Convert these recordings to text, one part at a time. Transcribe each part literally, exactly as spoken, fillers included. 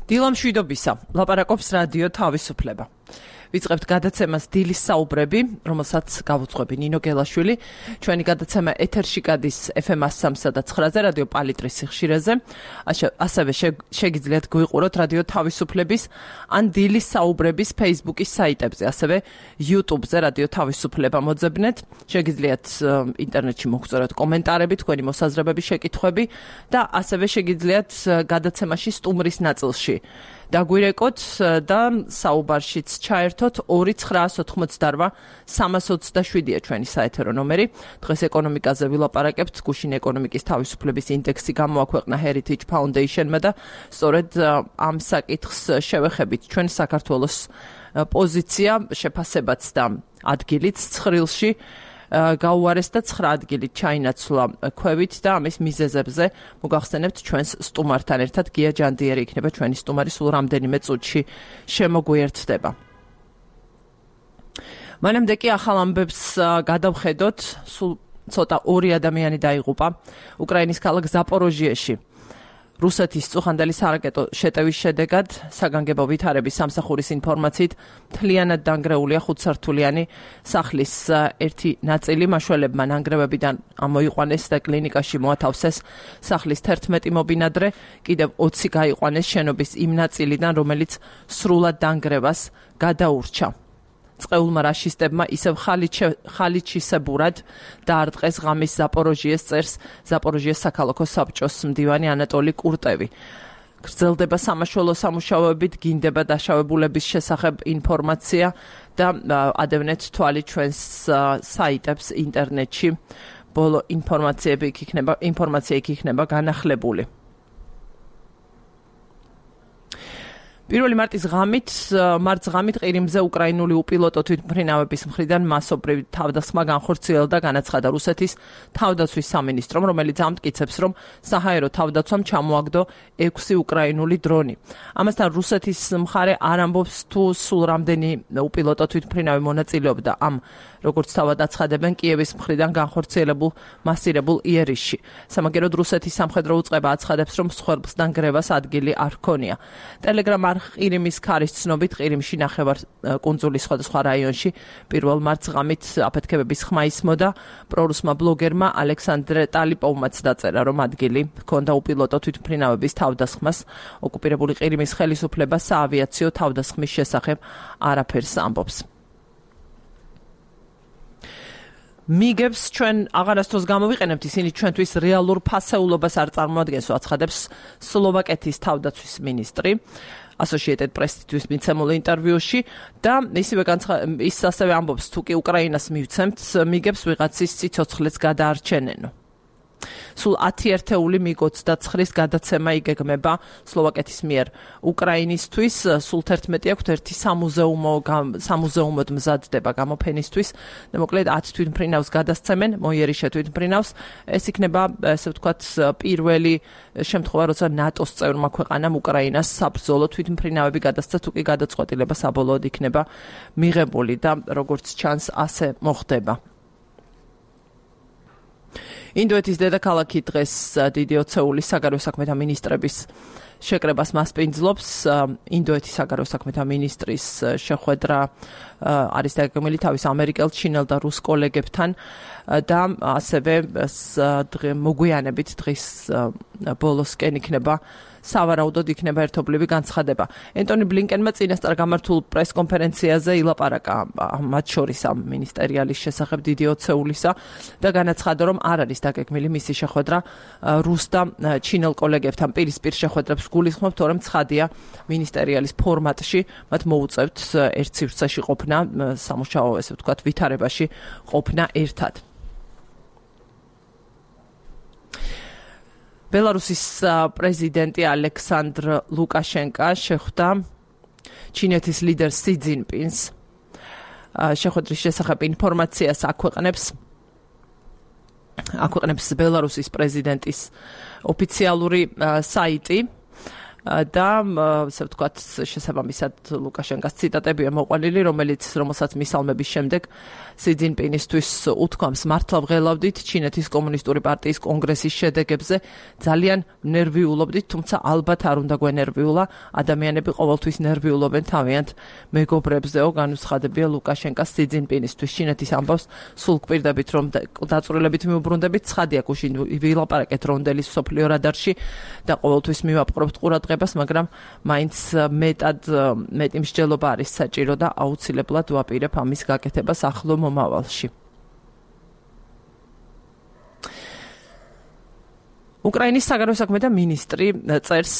დილა მშვიდობისა, ლაპარაკობს რადიო თავისუფლება. ვიწყებთ გადაცემას დილის საუბრები, რომელსაც გავუძღვები ნინო გელაშვილი. ჩვენი გადაცემა ეთერში გადის ეფ ემ one oh three და nine-ზე რადიო პალიტრის სიხშირეზე. ასევე შეგიძლიათ გვიყუროთ რადიო თავისუფლების ან დილის საუბრების Facebook-ის საიტებზე, ასევე YouTube-ზე რადიო თავისუფლება მოძებნეთ. შეგიძლიათ ინტერნეტში მოგწეროთ კომენტარები, თქვენი მოსაზრებები, შეკითხვები და ასევე შეგიძლიათ გადაცემაში სტუმრის ნაწილში დაგვირეკოთ და საუბარშიც ჩაერთოთ ორი ცხრაას ოთხმოცდარვა სამას ოცდაშვიდია ჩვენი საეთერო ნომერი. დღეს ეკონომიკაზე ვილაპარაკებთ. გუშინ ეკონომიკის თავისუფლების ინდექსი გამოაქვეყნა Heritage Foundation-მა და სწორედ ამ საკითხს შევეხებით. ჩვენ საქართველოს პოზიცია, შეფასებაც და ადგილიც ცხრილში გაუარეს და ცხრა ადგილი ჩაინაცვლა ქვევით და ამის მიზეზებზე მოგახსენებთ ჩვენს სტუმართან ერთად. გია ჯანდიერი იქნება ჩვენი სტუმარი, სულ რამდენიმე წუთში შემოგვიერთდება. მანამდე კი ახალ ამბებს გადავხედოთ. სულ ცოტა ორი ადამიანი დაიღუპა უკრაინის ქალაქ ზაპოროჟიეში. რუსეთის წუხანდელი სარაკეტო შეტევის შედეგად საგანგებო ვითარების სამსახურის ინფორმაციით მთლიანად დანგრეულია ხუთსართულიანი სახლის ერთი ნაწილი. მაშველებმა ნანგრევებიდან ამოიყვანეს და კლინიკაში მოათავსეს სახლის თერთმეტი მობინადრე, კიდევ ოცი გაიყვანეს შენობის იმ ნაწილიდან, რომელიც სრულად დანგრევას გადაურჩა. წყეულმა რაშისტებმა ისევ ხალიჩისებურად დაარტყეს ღამის ზაპოროჟიეს წერს ზაპოროჟიეს საქალაქო საბჭოს მდივანი ანატოლი კურტევი. გრძელდება სამაშველო სამუშაოებით, გინდება დაშავებულების შესახებ ინფორმაცია და ადევნეთ თვალი ჩვენს საიტებს ინტერნეტში. ბოლო ინფორმაციები იქ იქნება, ინფორმაცია იქ იქნება განახლებული. პირველი მარტის ღამით, მარტს ღამით ყირიმზე უკრაინული უპილოტო თვითმფრინავების მხრიდან მასობრივი თავდასხმა განხორციელდა, განაცხადა რუსეთის თავდაცვის სამინისტრომ, რომელიც ამტკიცებს, რომ საჰაერო თავდაცვამ ჩამოაგდო ექვსი უკრაინული დრონი. ამასთან რუსეთის მხარე არ ამბობს თუ სულ რამდენი უპილოტო თვითმფრინავი მონაწილეობდა ამ, როგორც თავად აცხადებენ, კიევის მხრიდან განხორციელებულ მასირებულ იერიშში. სამაგეროდ რუსეთის სამხედრო უწყება აცხადებს, რომ მსხვერპლს დანგრევას ადგილი არ ჰქონია. ტელეგრამ ყირიმის ქარის ცნობით ყირიმში ნახევარ კუნძულის სხვადასხვა რაიონში პირველ მარტს ღამით აფეთქებების ხმა ისმოდა. პრორუსმა ბლოგერმა ალექსანდრე ტალიპოვმაც დაწერა, რომ ადგილი ჰქონდა უპილოტო თვითმფრინავების თავდასხმას. ოკუპირებული ყირიმის ხელისუფლება საავიაციო თავდასხმის შესახებ არაფერს ამბობს. მიგებს ჩვენ აღარასდროს გამოვიყენებთ, ისინი ჩვენთვის რეალურ ფასეულობას არ წარმოადგენს, აცხადებს სლოვაკეთის თავდაცვის მინისტრი Associated Press-თვის მიცემულ ინტერვიუში და ისევე ის ასევე ამბობს, თუ კი უკრაინას მივცემთ, მიგებს ვიღაცის სიცოცხლეც გადაარჩენენო. სულ ათი ერთეული მიგ ოცდაცხრის გადაცემა იგეგმება სლოვაკეთის მიერ უკრაინისთვის. სულ თერთმეტი აქვთ, ერთი სამუზეუმო სამუზეუმოდ მზადდება გამოფენისთვის და მოკლედ ათ თვითმფრინავს გადასცემენ, მოიერიშე თვითმფრინავს. ეს იქნება, ესე ვთქვათ, პირველი შემთხვევა, როცა ნატოს წევრმა ქვეყანამ უკრაინას საბრძოლო თვითმფრინავები გადასცა, თუ კი გადაწყვეტილება საბოლოოდ იქნება მიღებული და როგორც ჩანს, ასე მოხდება. ინდოეთის დედაქალაქი დღეს დიდი ოცეულის საგარეო საქმეთა მინისტრების შეკრებას მასპინძლობს. ინდოეთის საგარეო საქმეთა მინისტრის შეხვედრა არის დაგეგმილი თავის ამერიკელ, ჩინელ და რუს კოლეგებთან და ასევე მოგვიანებით დღის ბოლოსკენ იქნება სავარაუდოდ იქნება ერთობლივი განცხადება. ენტონი ბლინკენმა წინასწარ გამართულ პრესკონფერენციაზე ილაპარაკა მათ შორის ამ მინისტერიალის შესახებ დიდი ოცეულისა და განაცხადა, რომ არ არის დაგეგმილი მისი შეხვედრა რუს და ჩინელ კოლეგებთან. პირისპირ შეხვედრებს გულისხმობ, თორემ ცხადია მინისტერიალის ფორმატში მათ მოუწევთ ერთ სივრცეში ყოფნა, სამუშაო, ესე ვთქვათ, ვითარებაში ყოფნა ერთად. ბელარუსის პრეზიდენტი ალექსანდრ ლუკაშენკა შეხვდა ჩინეთის ლიდერ სი ძინპინს. შეხვედრის შესახებ ინფორმაციას აქვეყნებს აქვეყნებს ბელარუსის პრეზიდენტის ოფიციალური საიტი. და ასე ვთქვათ, შესაბამისად ლუკაშენკოს ციტატებია მოყვანილი, რომელიც რომელსაც მისალმების შემდეგ სი ძინპინისთვის უთქვამს, მართლა ვღელავდით ჩინეთის კომუნისტური პარტიის კონგრესის შედეგებზე, ძალიან ნერვიულობდით, თუმცა ალბათ არ უნდა გვენერვიულა, ადამიანები ყოველთვის ნერვიულობენ თავიანთ მეგობრებზეო, განუცხადებია ლუკაშენკოს სი ძინპინისთვის. ჩინეთის ამბავს სულ გვპირდებით, რომ დაწვრილებით მიუბრუნდებით, ცხადია გუშინ ვილაპარაკეთ რონდელის სოფლიო რადარში და ყოველთვის მივაპყრობთ ყურადღებას, მაგრამ მაინც მეტად მეტი მსჯელობა არის საჭირო და აუცილებლად ვაპირებ ამის გაკეთებას ახლო მომავალში. უკრაინის საგარეო საქმეთა მინისტრი წერს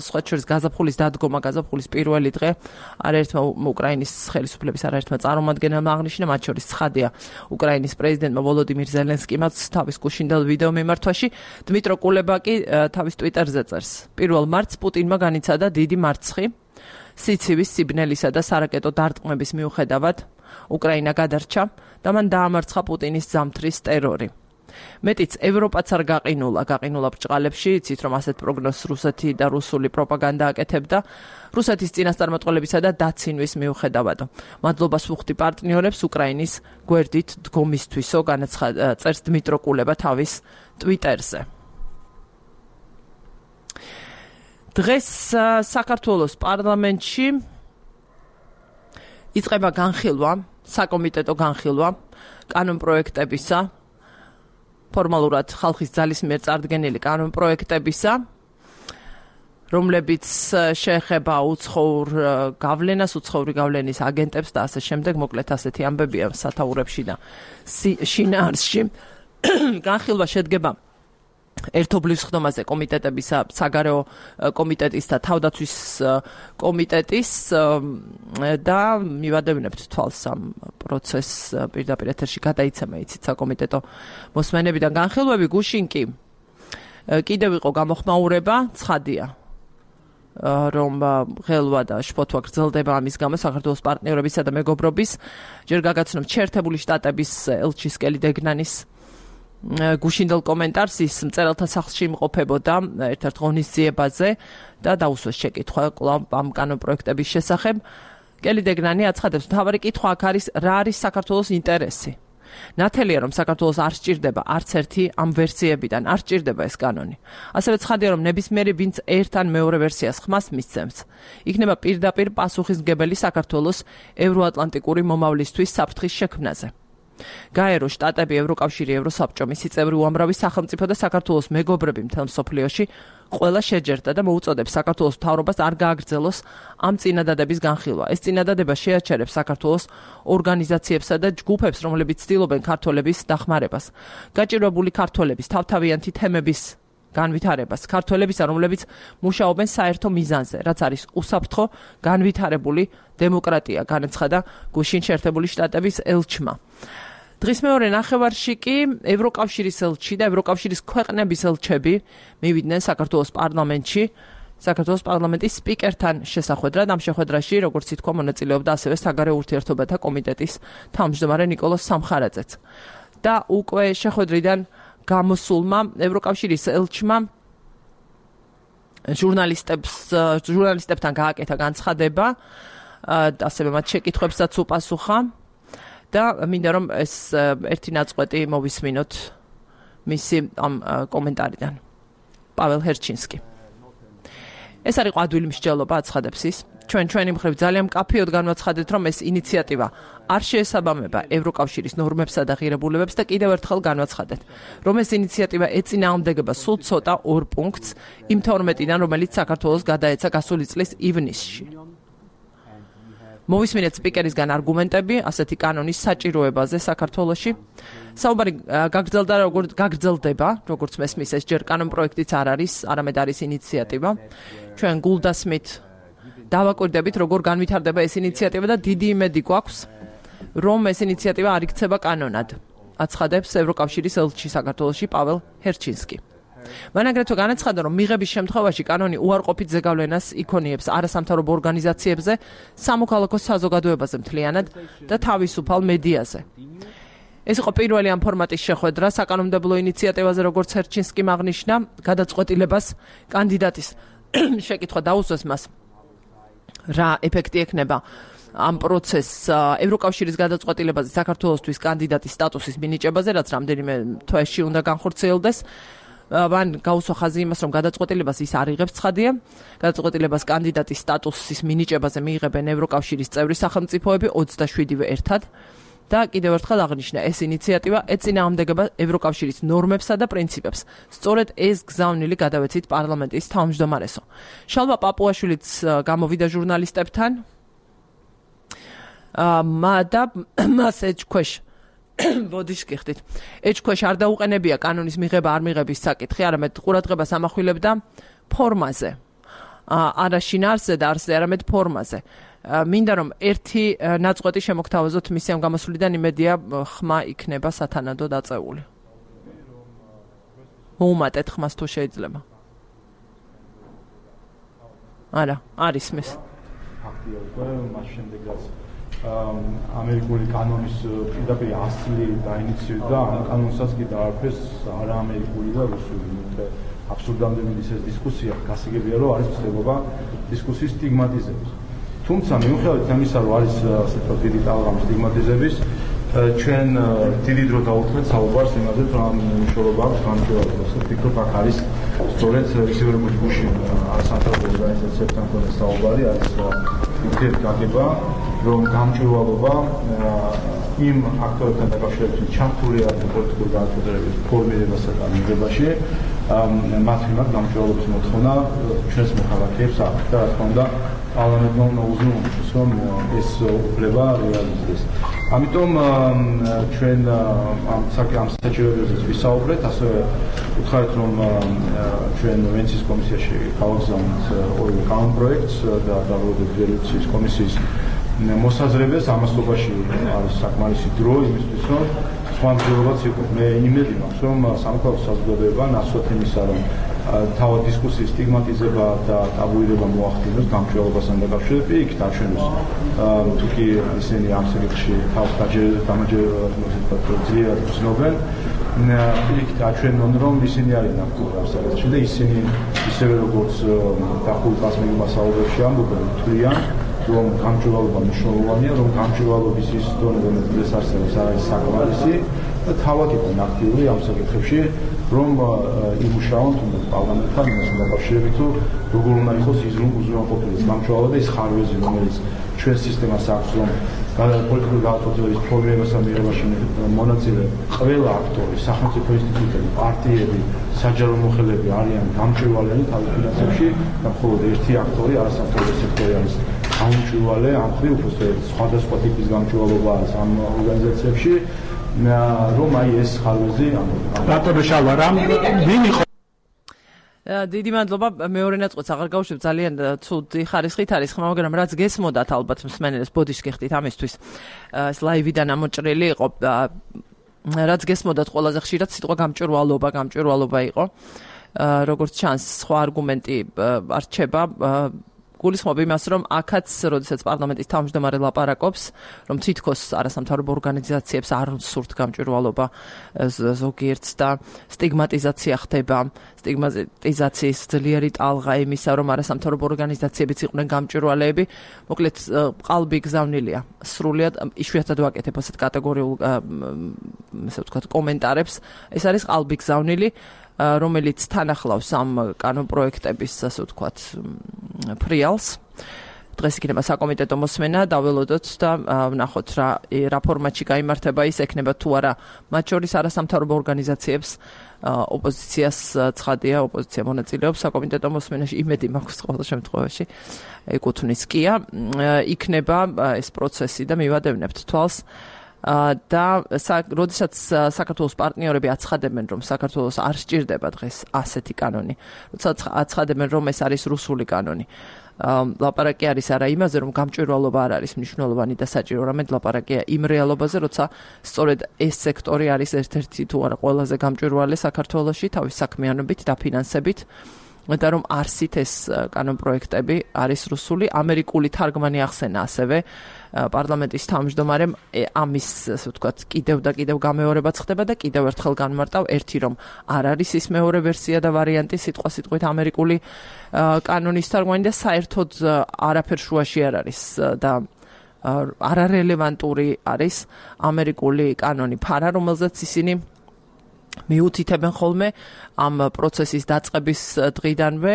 სხვა შორის გაზაფხულის დადგომა, გაზაფხულის პირველი დღე არაერთმა უკრაინის ხელისუფლების არაერთმა წარმომადგენელმა აღნიშნა, მათ შორის ცხადია უკრაინის პრეზიდენტმა ვოლოდიმირ ზელენსკიმაც თავის გუშინდელ ვიდეო მიმართვაში. დმიტრო კულება კი თავის ტვიტერზე წერს, პირველ მარტს პუტინმა განიცადა დიდი მარცხი სიცივის, სიბნელისა და სარაკეტო დარტყმების მიუხედავად უკრაინა გადარჩა და მან დაამარცხა პუტინის ზამთრის ტერორი. მეტიც ევროპაც არ გაყინულა, გაყინულა ბრჭყალებში, იცით რომ ასეთ პროგნოზს რუსეთი და რუსული პროპაგანდა აკეთებდა რუსეთის წინასწარმეტყველებისა და დაცინვის მიუხედავადო. მადლობას ვუხდი პარტნიორებს უკრაინის გვერდით დგომისთვისო, განაცხადა წერს დმიტრო კულება თავის ტვიტერზე. დღეს საქართველოს პარლამენტში იწყება განხილვა, საკომიტეტო განხილვა კანონპროექტებისა, ფორმალურად ხალხის ძალის მიერ წარდგენილი კანონპროექტებისა, რომლებიც შეეხება უცხოურ გავლენას, უცხოური გავლენის აგენტებს და ასე შემდეგ, მოკლედ ასეთი ამბებია სათაურებში და შინაარსში. განხილვა შედგება ერთობლივ სხდომაზე კომიტეტებისა, საგარეო კომიტეტის და თავდაცვის კომიტეტის და მივადევნებთ თვალს ამ პროცესს პირდაპირ ეთერში გადაიცემა, იცით, საკომიტეტო მოსმენებიდან განხილვები. გუშინ კი კიდევ იყო გამოხმაურება, ცხადია რომ ღელვა და შფოთვა გრძელდება ამის გამო საქართველოს პარტნიორებისა და მეგობრობის, ჯერ გაგაცნობთ შეერთებული შტატების ელჩის კელი დეგნანის გუშინდელ კომენტარს, ის მწერალთა სახლში იმყოფებოდა ერთ-ერთ ღონისძიებაზე და დაუსვეს შეკითხვა კვლავ ამ კანონპროექტების შესახებ. კელი დეგნანი აცხადებს, მთავარი კითხვა აქ არის, რა არის საქართველოს ინტერესი. ნათელია, რომ საქართველოს არ სჭირდება არც ერთი ამ ვერსიებიდან, არ სჭირდება ეს კანონი. ასევე ცხადია, რომ ნებისმიერი, ვინც ერთ ან მეორე ვერსიას ხმას მისცემს, იქნება პირდაპირ პასუხისმგებელი საქართველოს ევროატლანტიკური მომავლისთვის საფრთხის შექმნაზე. გაერო შტატები, ევროკავშირი, ევროსაბჭო, მისი წევრი უამრავი სახელმწიფო და საქართველოს მეგობრები მთელ მსოფლიოში ყველა შეჯერდა და მოუწოდებს საქართველოს მთავრობას არ გააგრძელოს ამ წინადადების განხილვა. ეს წინადადება შეაჩერებს საქართველოს ორგანიზაციებსა და ჯგუფებს, რომლებიც ცდილობენ ქართველების დახმარებას, გაჭირვებული ქართველების თავთავიანთი თემების განვითარებას, ქართველებისა, რომლებიც მუშაობენ საერთო მიზანზე, რაც არის უსაფრთხო განვითარებული დემოკრატია, განაცხადა გუშინ შეერთებული შტატების ელჩმა. დღის მეორე ნახევარში კი ევროკავშირის ელჩი და ევროკავშირის ქვეყნების ელჩები მივიდნენ საქართველოს პარლამენტში, საქართველოს პარლამენტის სპიკერთან შესახვედრად. ამ შეხვედრაში, როგორც ითქვა, მონაწილეობდა ასევე საგარეო ურთიერთობათა კომიტეტის თავმჯდომარე ნიკოლოზ სამხარაძეც. და უკვე შეხვედრიდან გამოსულმა ევროკავშირის ელჩმა ჟურნალისტებს ჟურნალისტებთან გააკეთა განცხადება, ასევე მათ შეკითხვებსაც უპასუხა და მინდა რომ ეს ერთი ნაწყვეტი მოვისმინოთ მისი ამ კომენტარიდან. პაվել ჰერჩინსკი. ეს არის ყვადვილი მსჯელობა, აცხადებს ის. ჩვენ ჩვენი მხრივ ძალიან მკაფიოდ განვაცხადეთ, რომ ეს ინიციატივა არ შეესაბამება ევროკავშირის ნორმებსა და ღირებულებებს და კიდევ ერთხელ განვაცხადეთ, რომ ეს ინიციატივა ეწინააღმდეგება სულ ცოტა ორ პუნქტს იმ თორმეტიდან, რომელიც საქართველოს გადაეცა გასული წლის ივნისში. მოვისმინეთ სპიკერისგან არგუმენტები ასეთი კანონის საჭიროებაზე საქართველოში. საუბარი გაგრძელდა, როგორც გაგრძელდება, როგორც მესმის, ეს ჯერ კანონპროექტიც არ არის, არამედ არის ინიციატივა. ჩვენ გულდასმით დავაკვირდებით, როგორ განვითარდება ეს ინიციატივა და დიდი იმედი გვაქვს, რომ ეს ინიციატივა არ იქცება კანონად, აცხადებს ევროკავშირის ელჩი საქართველოში პაվել ჰერჩინსკი. მან აგრეთვე განაცხადა, რომ მიღების შემთხვევაში კანონი უარყოფით ზეგავლენას იქონიებს არასამთავრობო ორგანიზაციებზე, სამოქალაქო საზოგადოებაზე მთლიანად და თავისუფალ მედიაზე. ეს იყო პირველი ამ ფორმატის შეხვედრა საკანონმდებლო ინიციატივაზე, როგორც ჰერჩინსკიმ აღნიშნა, გადაწყვეტილებას კანდიდატის შეკითხვა დაუსვეს მას რა ეფექტი ექნება ამ პროცესს ევროკავშირის გადაწყვეტილებაზე საქართველოსთვის კანდიდატის სტატუსის მინიჭებაზე, რაც რამდენიმე თვეში უნდა განხორციელდეს. მან გაუსვა ხაზი იმას, რომ გადაწყვეტილებას ის არ იღებს ცხადია. გადაწყვეტილებას კანდიდატის სტატუსის მინიჭებაზე მიიღებენ ევროკავშირის წევრი სახელმწიფოები ოცდაშვიდივე ერთად. და კიდევ ერთხელ აღნიშნა, ეს ინიციატივა ეწინააღმდეგება ევროკავშირის ნორმებსა და პრინციპებს. სწორედ ეს გზავნილი გადავეცით პარლამენტის თავმჯდომარესო. შალვა პაპუაშვილიც გამოვიდა ჟურნალისტებთან და მას ეჭქვეშ ბოდიშ გიხდით. ეჭქვეშ არ დაუყენებია კანონის მიღება არ მიღების საკითხი, არამედ ყურადღებას ამახვილებდა ფორმაზე. არა შინაარსზე და არსზე, არამედ ფორმაზე. მინდა რომ ერთი ნაწყვეტი შემოგთავაზოთ მისი ამ გამოსვლიდან, იმედია ხმა იქნება სათანადო დაწეული. მოუმატეთ ხმას თუ შეიძლება. არა, არის მის. ფაქტია უკვე მას შემდეგაც ამერიკული კანონის პირდაპირ ასლი დაინიციირდა, ამ კანონსაც კი დაარქვეს არა ამერიკული და რუსული. აბსურდამდე მიდის ეს დისკუსია, გასაგებია რომ არის ცდილობა დისკუსიის სტიგმატიზების. თუმცა მიუხედავად ამისა, რომ არის ასე ვთქვათ დიდი ტალღამ სტიგმატიზების, ჩვენ დიდი დრო დავუთმეთ საუბარს იმაზე, რომ ამ მნიშვნელობა აქვს განმარტებას. ვფიქრობ, აქ არის სწორედ ისევე როგორც გუშინ სამთავრობო ორგანიზაციებთან მქონე საუბარი, არის ურთიერთგაგება, რომ გამჭვირვალობა იმ აქტორებთან დაკავშირებით ჩართული არის პოლიტიკური გადაწყვეტილების ფორმირებასა და მიღებაში, მათ მიმართ გამჭვირვალობის მოთხოვნა ჩვენს მოქალაქეებს აქვს და რა თქმა უნდა პარლამენტმა უნდა უზრუნველყოს, რომ ეს უფლება რეალიზდეს. ამიტომ ჩვენ ამ საჭიროებაზეც ვისაუბრეთ, ასევე ვუთხარით, რომ ჩვენ ვენეციის კომისიაში გავაგზავნეთ ორივე კანონპროექტს და დავუდგეთ რეზოლუციის კომისიის მოსაზრებას, ამასობაში არის საკმარისი დრო იმისთვის, რომ სხვა მცდელობაც იყოს. მე იმედი მაქვს, რომ სამოქალაქო საზოგადოება ნაცვლად იმისა, რომ თავად დისკუსიის სტიგმატიზება და ტაბუირება მოახდინოს გამჭვირვალობასთან დაკავშირებით, იქით აჩვენოს თუ კი ისინი ამ საკითხში თავს ძლიერ გრძნობენ, იქით აჩვენონ, რომ ისინი არიან აქტიური ამ საკითხში და ისინი ისევე როგორც დახურულ კასმენულ მასალებში ამბობენ, თვლიან, რომ გამჭვირვალობა მნიშვნელოვანია, რომ გამჭვირვალობის ის დონე, რომელიც არსებობს, არის საკმარისი და თავად იყვნენ აქტიური ამ საკითხებში, რომ იმუშაონ თუნდაც პარლამენტთან იმასთან დაკავშირებით, თუ როგორ უნდა იყოს უზრუნველყოფილი გამჭვირვალობა და ის ხარვეზი, რომელიც ჩვენ სისტემას აქვს, რომ პოლიტიკური გადაწყვეტილების ფორმირებასა და მიღებაში მონაწილე ყველა აქტორი, სახელმწიფო ინსტიტუტები, პარტიები, საჯარო მოხელეები არიან გამჭვირვალე თავის ფინანსებში და მხოლოდ ერთი აქტორი, არასამთავრობო სექტორი არის გამჭვირვალე, ამ ხრივ უბრალოდ სხვადასხვა ტიპის გამჭვირვალობა არის ამ ორგანიზაციებში, რომ აი ეს ხარვეზი რატომ შალვა რამ ვინ იყო დიდი მადლობა მეორე ნაწყვეტს აღარ გავუშვებ ძალიან ცუდი ხარისხით არის ხმა მაგრამ რაც გესმოდათ ალბათ მსმენელს ბოდიშს გიხდით ამისთვის ეს ლაივიდან ამოჭრილი იყო რაც გესმოდათ ყველაზე ხშირად სიტყვა გამჭვირვალობა გამჭვირვალობა იყო როგორც ჩანს სხვა არგუმენტი არ რჩება გულისხმობ იმას, რომ აქაც, როდესაც პარლამენტის თავმჯდომარე ლაპარაკობს, რომ თითქოს არასამთავრობო ორგანიზაციებს არ სურთ გამჭვირვალობა ზოგიერთს და სტიგმატიზაცია ხდება, სტიგმატიზაციის ძლიერი ტალღა იმისა, რომ არასამთავრობო ორგანიზაციებიც იყვნენ გამჭვირვალეები, მოკლედ ყალბი გზავნილია. სრულიად იშვიათად ვაკეთებ ასეთ კატეგორიულ, ასე ვთქვათ, კომენტარებს. ეს არის ყალბი გზავნილი. რომელიც თან ახლავს ამ კანონპროექტების, ასე ვთქვათ, ფრიალს. დღეს იქნება საკომიტეტო მოსმენა, დაველოდოთ და ვნახოთ რა რა ფორმატში გაიმართება ის, ექნება თუ არა მათ შორის არასამთავრობო ორგანიზაციებს ოპოზიციას ცხადია, ოპოზიცია მონაწილეობს საკომიტეტო მოსმენაში, იმედი მაქვს ყოველ შემთხვევაში ეკუთვნის კია, იქნება ეს პროცესი და მივადევნებთ თვალს. და როდესაც საქართველოს პარტნიორები აცხადებენ, რომ საქართველოს არ სჭირდება დღეს ასეთი კანონი, როდესაც აცხადებენ, რომ ეს არის რუსული კანონი. ლაპარაკი არის არა იმაზე, რომ გამჭვირვალობა არ არის მნიშვნელოვანი და საჭირო, არამედ ლაპარაკია იმ რეალობაზე, როცა სწორედ ეს სექტორი არის ერთ-ერთი თუ არა ყველაზე გამჭვირვალე საქართველოში თავის საქმიანობით და ფინანსებით. და რომ არსით ეს კანონპროექტები არის რუსული, ამერიკული თარგმანი ახსენა ასევე პარლამენტის თავმჯდომარემ ამის, ასე ვთქვათ, კიდევ და კიდევ გამეორებაც ხდება და კიდევ ერთხელ განმარტავ ერთი რომ არ არის ის მეორე ვერსია და ვარიანტი სიტყვა სიტყვით ამერიკული კანონის თარგმანი და საერთოდ არაფერ შუაში არ არის და არარელევანტური არის ამერიკული კანონი ფარა, რომელზეც ისინი მიუთითებენ ხოლმე ამ პროცესის დაწყების დღიდანვე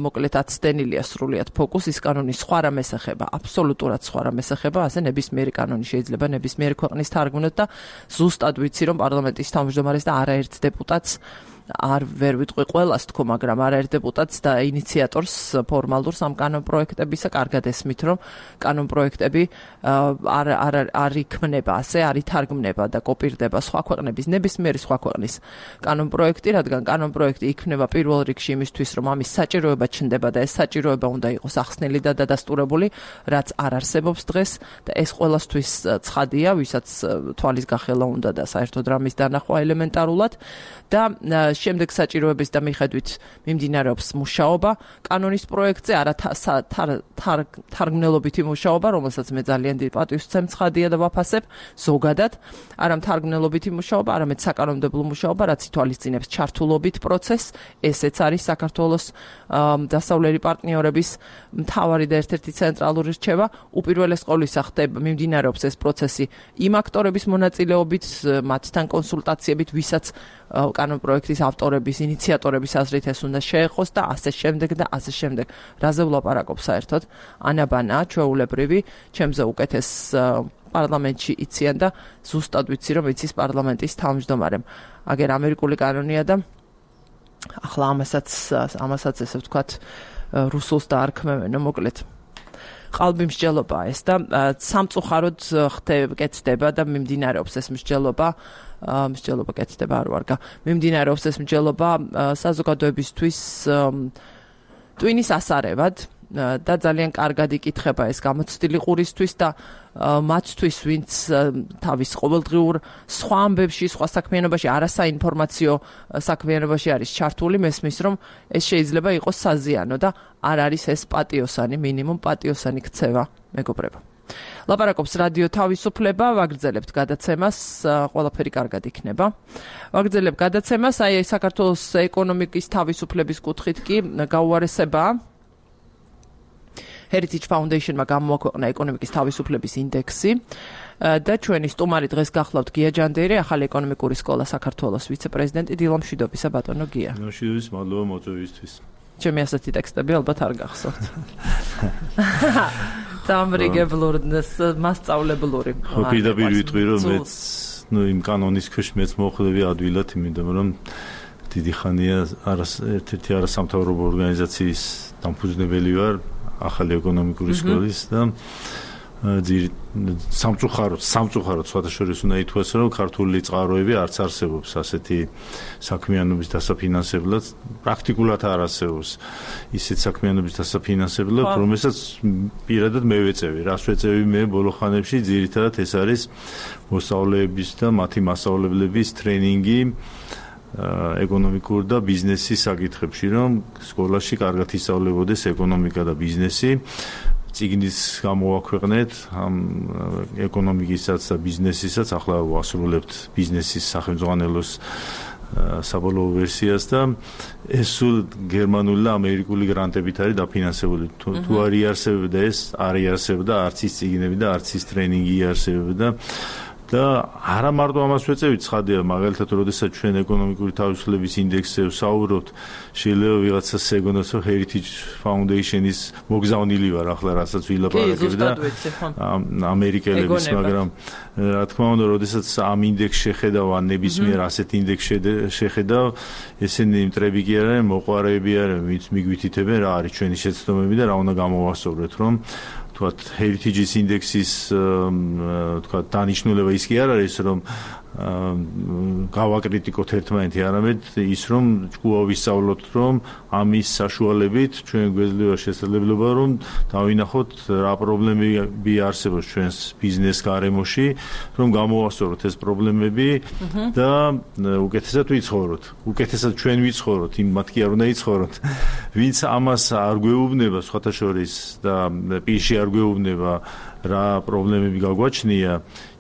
მოკლედ აცდენილია სრულიად ფოკუსის კანონის სხვა რამეს ეხება, აბსოლუტურად სხვა რამეს ეხება, ასე ნებისმიერი კანონი შეიძლება ნებისმიერი ქვეყნის თარგმნოთ და ზუსტად ვიცი რომ პარლამენტის თავმჯდომარეს და არაერთ დეპუტატს არ ვერ ვიტყვი ყველას თქო, მაგრამ არაერთ დეპუტატს და ინიციატორს ფორმალურს ამ კანონპროექტებისა კარგად ესმით, რომ კანონპროექტები არ არ არ იქმნება, ასე არ ითარგმნება და კოპირდება სხვა ქვეყნების, ნებისმიერი სხვა ქვეყნის კანონპროექტი, რადგან კანონპროექტი იქმნება პირველ რიგში იმისთვის, რომ ამის საჭიროება ჩნდება და ეს საჭიროება უნდა იყოს ახსნილი და დადასტურებული, რაც არ არსებობს დღეს და ეს ყველასთვის ცხადია, ვისაც თვალის გახელა უნდა და საერთოდ რამის დანახვა ელემენტარულად და შემდეგ საჭიროების და მიხედვით მიმდინარეობს მუშაობა კანონის პროექტზე, არა თარგმნელობითი მუშაობა, რომელსაც მე ძალიან დიდ პატივს ვცემ, ცხადია და ვაფასებ ზოგადად, არა თარგმნელობითი მუშაობა, არამედ საკანონმდებლო მუშაობა, რაც ითვალისწინებს ჩართულობით პროცესს, ესეც არის საქართველოს დასავლელი პარტნიორების მთავარი და ერთ-ერთი ცენტრალური რჩევა. უპირველეს ყოვლისა ხდება მიმდინარეობს ეს პროცესი იმ აქტორების მონაწილეობით, მათთან კონსულტაციებით, ვისაც კანონპროექტის ავტორების, ინიციატორების აზრით ეს უნდა შეეხოს და ასე შემდეგ და ასე შემდეგ. რაზე ვლაპარაკობ საერთოდ? ანაბანა, ჩვეულებრივი, ჩემზე უკეთეს პარლამენტში იციან და ზუსტად ვიცი რომ იცის პარლამენტის თავმჯდომარემ. აგერ ამერიკული კანონია და ახლა ამასაც ამასაც ესე ვთქვათ რუსულს დაარქმევენო მოკლედ. ყალბი მსჯელობაა ეს და სამწუხაროდ ხდება და მიმდინარეობს ეს მსჯელობა მსჯელობა კეთდება არ ვარგა. მიმდინარეობს ეს მსჯელობა საზოგადოებისთვის ტვინის ასარევად და ძალიან კარგად იკითხება ეს გამოცდილი ყურისთვის და მათთვის, ვინც თავის ყოველდღიურ სხვა ამბებში, სხვა საქმიანობაში, არასაინფორმაციო საქმიანობაში არის ჩართული, მესმის რომ ეს შეიძლება იყოს საზიანო და არ არის ეს პატიოსანი, მინიმუმ პატიოსანი ქცევა, მეგობრებო. ლაპარაკობს რადიო თავისუფლება, ვაგრძელებთ გადაცემას, ყველაფერი კარგად იქნება. ვაგრძელებ გადაცემას, აი საქართველოს ეკონომიკის თავისუფლების კუთხით კი გაუარესებაა. Heritage Foundation-მა გამოაქვეყნა ეკონომიკის თავისუფლების ინდექსი და ჩვენი სტუმარი დღეს გახლავთ გია ჯანდიერი, ახალი ეკონომიკური სკოლა საქართველოს ვიცე-პრეზიდენტი. დილა მშვიდობისა ბატონო გია. მშვიდობის, მადლობა მოწვევისთვის. ჩემი ასეთი ტექსტები ალბათ არ გახსოვთ. დამრიგებლური, მასწავლებლური. ხო, პირდაპირ ვიტყვი რომ მეც, ნუ იმ კანონის ქვეშ მეც მოხვდები ადვილად, იმიტომ რომ დიდი ხანია ერთ-ერთი არასამთავრობო ორგანიზაციის დამფუძნებელი ვარ. ახალი ეკონომიკური სკოლის და სამწუხაროდ სამწუხაროდ სხვადასხვა უნდა ითქვას რომ ქართული წყაროები არც არსებობს ასეთი საქმიანობის დასაფინანსებლად, პრაქტიკულად არ არსებობს ისეთ საქმიანობის დასაფინანსებლად, რომელსაც პირადად მე ვეწევი. რას ვეწევი მე ბოლო ხანებში? ძირითადად ეს არის მოსწავლეების და მათი მასწავლებლების ტრენინგი ეკონომიკურ და ბიზნესის საკითხებში, რომ სკოლაში კარგად ისწავლებოდეს ეკონომიკა და ბიზნესი. წიგნის გამოვაქვეყნეთ ამ ეკონომიკისაც და ბიზნესისაც, ახლა ვასრულებთ ბიზნესის სახელმძღვანელოს საბოლოო ვერსიას და ეს სულ გერმანული და ამერიკული გრანტებით არის დაფინანსებული. თუ არ იარსებდა ეს, არ იარსებდა არც ის წიგნები და არც ის ტრენინგი იარსებდა. და არა მარტო ამას ვეწევით, ცხადია, მაგალითად, როდესაც ჩვენ ეკონომიკური თავისუფლების ინდექსზე ვსაუბრობთ, შეიძლება ვიღაცას ეგონოს, რომ Heritage Foundation-ის მოგზავნილი ვარ, ახლა რასაც ვილაპარაკებ და ამერიკელების, მაგრამ რა თქმა უნდა, როდესაც ამ ინდექსს შეხედავ, ან ნებისმიერ ასეთ ინდექსს შეხედავ, ესენი მტრები კი არიან, მოყვარეები არიან, ვინც მიგვითითებენ რა არის ჩვენი შეცდომები და რა უნდა გამოვასწოროთ, რომ თქვათ Heritage-ის ინდექსის თქვათ დანიშნულება ის კი არ არის, რომ გავაკრიტიკოთ ერთმანეთი, არამედ ის რომ ჭკუა ვისწავლოთ, რომ ამის საშუალებით ჩვენ გვეძლევა შესაძლებლობა რომ დავინახოთ რა პრობლემები არსებობს ჩვენს ბიზნეს გარემოში, რომ გამოვასწოროთ ეს პრობლემები და უკეთესად ვიცხოვროთ. უკეთესად ჩვენ ვიცხოვროთ, იმ მათი არ უნდა იცხოვროთ. ვინც ამას არ გვეუბნება სხვათა შორის და პირში არ გვეუბნება რა პრობლემები გაგვაჩნია,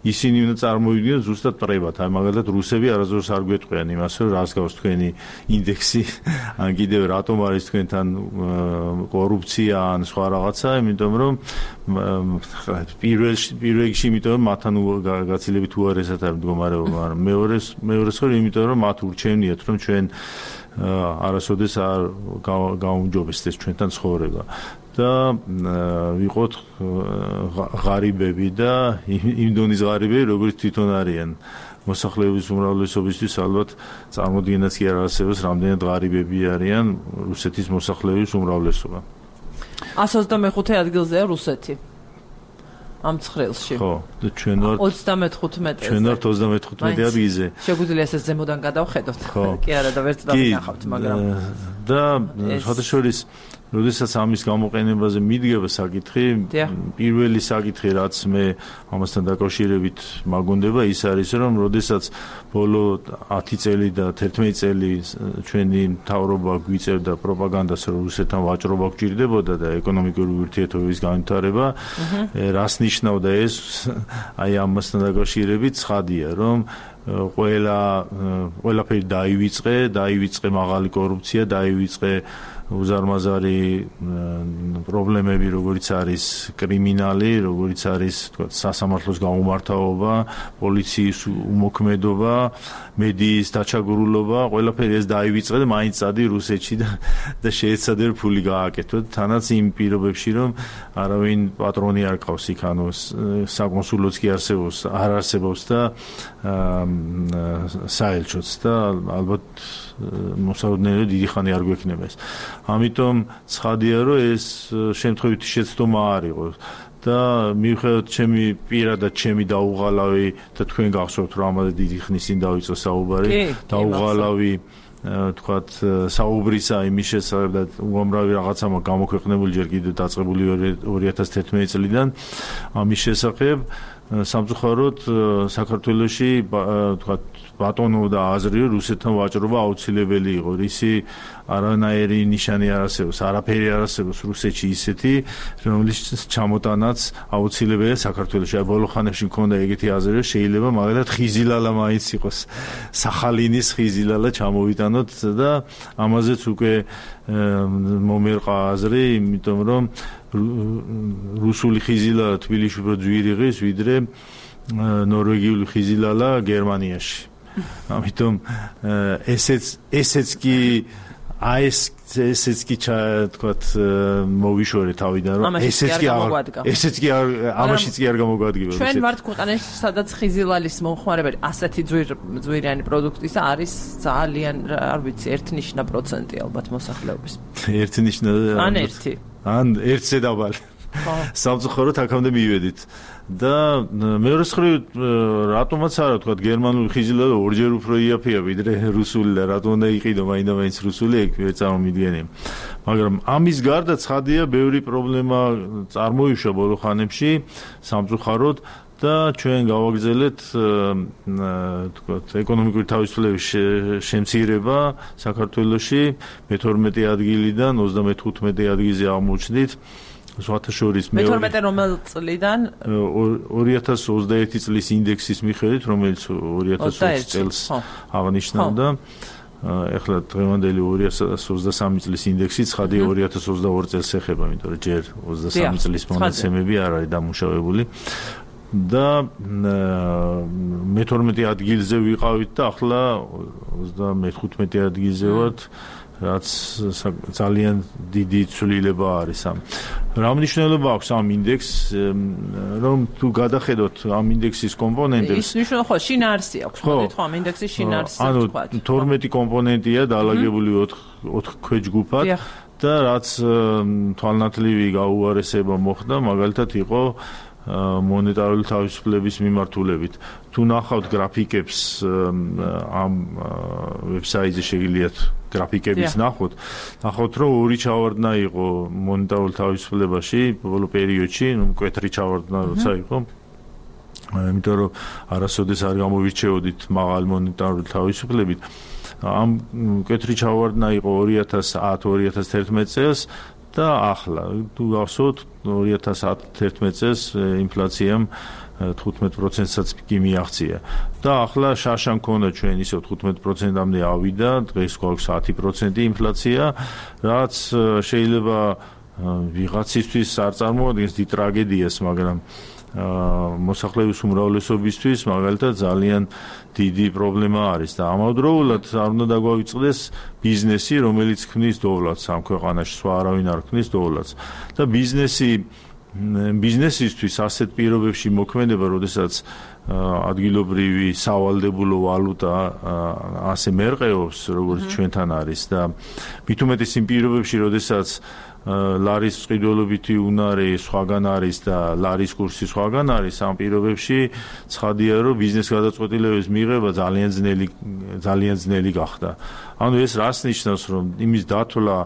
ისინი უნდა წარმოვიდგინოთ ზუსტად პრებად. აი მაგალითად რუსები არასდროს არ გვეტყვიან იმას, რომ რას გავს თქვენი ინდექსი, ან კიდევ რატომ არის თქვენთან კორუფცია ან სხვა რაღაცა, იმიტომ რომ პირველში პირველში იმიტომ რომ მათთან გაცილებით უარესად არის მდგომარეობა, მაგრამ მეორეს მეორეს ხო იმიტომ რომ მათ ურჩევნიათ რომ ჩვენ არასოდეს არ გაუმჯობესდეს ჩვენთან ცხოვრება. და ვიყოთ ღარიბები და იმ დონის ღარიბები, როგორც თვითონ არიან. მოსახლეობის უმრავლესობისთვის ალბათ წარმოდგენაც კი არ არსებობს, რამდენად ღარიბები არიან რუსეთის მოსახლეობის უმრავლესობა. εκατს ოცდამეხუთე ადგილზეა რუსეთი. ამ ცხრილში. ხო, და ჩვენ ვართ ოცდამეთხუთმეტე. ჩვენ ვართ ოცდამეთხუთმეტე ადგილზე. შეგვიძლია ესე ზემოდან გადავხედოთ. კი არა და ვერც დავინახავთ, მაგრამ და შეთაშორის როდესაც ამის გამოყენებაზე მიდგება საკითხი, პირველი საკითხი რაც მე ამასთან დაკავშირებით მაგონდება ის არის რომ როდესაც ბოლო ათი წელი და თერთმეტი წელი ჩვენი მთავრობა გვიწერდა პროპაგანდას რომ რუსეთთან ვაჭრობა გვჭირდებოდა და ეკონომიკური ურთიერთობების განვითარება, რას ნიშნავდა ეს აი ამასთან დაკავშირებით ცხადია რომ ყველა ყველაფერი დაივიწყე, დაივიწყე მაღალი კორუფცია, დაივიწყე უზარმაზარი პრობლემები, როგორიც არის კრიმინალი, როგორიც არის თქვა სასამართლოს გაუმართავობა, პოლიციის უმოქმედობა, მედიის დაჩაგურულობა, ყველაფერი ეს დაივიწყე და მაინც წადი რუსეთში და და შეეცადე ფული გააკეთო. თანაც იმ პირობებში რომ არავინ პატრონი არ ყავს იქ, ანუ საკონსულოც კი არსებობს, არ არსებობს და საელჩოც და ალბათ მოსაუბრებელი დიდი ხანი არ გვექნება ეს. ამიტომ ცხადია რომ ეს შემთხვევითი შეცდომა არ იყო და მიუხედავად ჩემი პირადად ჩემი დაუღალავი და თქვენ გახსოვთ რომ ამაზე დიდი ხნის წინ დავიწყო საუბარი, დაუღალავი თქვათ საუბრისა იმის შესახებ და უამრავი რაღაცა გამოქვეყნებული ჯერ კიდევ დაწყებული ორი ათას თერთმეტი წლიდან ამის შესახებ სამწუხაროდ საქართველოში თქვათ ბატონობდა აზრი რომ რუსეთთან ვაჭრობა აუცილებელი იყო. რისი არანაირი ნიშანი არ არსებობს, არაფერი არ არსებობს რუსეთში ისეთი, რომლის ჩამოტანაც აუცილებელია საქართველოში. აი ბოლო ხანებში მქონდა ეგეთი აზრი, რომ შეიძლება მაგალითად ხიზილალა მაინც იყოს, სახალინის ხიზილალა ჩამოვიტანოთ და ამაზეც უკვე მომერყა აზრი, იმიტომ რომ რუსული ხიზილალა თბილისში უფრო ძვირი ღირს, ვიდრე ნორვეგიული ხიზილალა გერმანიაში. ამიტომ ესეც ესეც კი აი ეს ესეც კი თქვათ მოვიშორე თავიდან რომ ესეც კი ესეც კი ამაშიც კი არ გამოგვადგება. ჩვენ ვართ ქვეყანაში სადაც ხიზილალის მომხმარებელი ასეთი ძვირიანი პროდუქტისა არის ძალიან არ ვიცი ერთნიშნა პროცენტი ალბათ მოსახლეობის. ერთნიშნა ან ერთი ან ერთზე დაბალი. სამწუხაროდ აქამდე მივედით. და მეორე მხრივ რატომაც არა თქვა გერმანული ხიზილალა ორჯერ უფრო იაფია ვიდრე რუსული და რატომ უნდა იყიდო მაინდა-მაინც რუსული ეგ ვერ წარმომიდგენია. მაგრამ ამის გარდა ცხადია ბევრი პრობლემა წარმოიშვა ბოლო ხანებში სამწუხაროდ და ჩვენ გავაგრძელეთ თქვა ეკონომიკური თავისუფლების შემცირება საქართველოში მეთორმეტე ადგილიდან ოცდამეთხუთმეტე ადგილზე აღმოჩნდით. სხვათა შორის მეთორმეტე რომელ წლიდან? ორი ათას ოცდაერთი წლის ინდექსის მიხედვით, რომელიც ორი ათას ოცი წელს აღნიშნავდა. ეხლა დღევანდელი ორი ათას ოცდასამი წლის ინდექსი ცხადია ორი ათას ოცდაორი წელს ეხება, იმიტომ რომ ჯერ ოცდასამი წლის მონაცემები არ არის დამუშავებული. და მეთორმეტე ადგილზე ვიყავით და ახლა ოცდამეთხუთმეტე ადგილზე ვართ. რაც ძალიან დიდი ცვლილება არის ამ. რა მნიშვნელობა აქვს ამ ინდექსს, რომ თუ გადახედოთ ამ ინდექსის კომპონენტებს? ის ნიშნავს ხო შინაარსი აქვს, მოდით ხო ამ ინდექსის შინაარსი ანუ თორმეტი კომპონენტია დაალაგებული ოთხ ქვეჯგუფად და რაც თვალნათლივი გაუარესება მოხდა, მაგალითად იყო მონეტარული თავისუფლების მიმართულებით. თუ ნახავთ გრაფიკებს ამ ვებსაიტზე შეგიძლიათ გრაფიკებიც ნახოთ, ნახავთ რომ ორი ჩავარდნა იყო მონეტარულ თავისუფლებაში ბოლო პერიოდში, ნუ მკვეთრი ჩავარდნა როცა იყო. იმიტომ რომ არასოდეს არ გამოვირჩეოდით მაღალ მონეტარული თავისუფლებით. ამ მკვეთრი ჩავარდნა იყო ორი ათას ათი ორი ათას თერთმეტ წელს და ახლა თუ გახსოვთ ორი ათას თერთმეტ წელს ინფლაციამ თხუთმეტ პროცენტსაც კი მიაღწია და ახლა შაშა მქონდა ჩვენ ისევ თხუთმეტ პროცენტამდე ავიდა, დღეს გვაქვს ათი პროცენტი ინფლაცია, რაც შეიძლება ვიღაცისთვის არ წარმოადგენს დიდ ტრაგედიას, მაგრამ მოსახლეობის უმრავლესობისთვის მაგალითად ძალიან დიდი პრობლემა არის და ამავდროულად არ უნდა დაგვავიწყდეს ბიზნესი, რომელიც ქმნის დოვლათს ამ ქვეყანაში, სხვა არავინ არ ქმნის დოვლათს და ბიზნესი ბიზნესისთვის ასეთ პირობებში მოქმედება, როდესაც ადგილობრივი სავალდებულო ვალუტა ასე მერყეობს, როგორც ჩვენთან არის და მით უმეტეს იმ პირობებში, როდესაც ლარის წყიდველობითი უნარი სხვაგან არის და ლარის კურსი სხვაგან არის, ამ პირობებში ცხადია, რომ ბიზნეს გადაწყვეტილებების მიღება ძალიან ძნელი ძალიან ძნელი გახდა. ანუ ეს რას ნიშნავს, რომ იმის დათვლა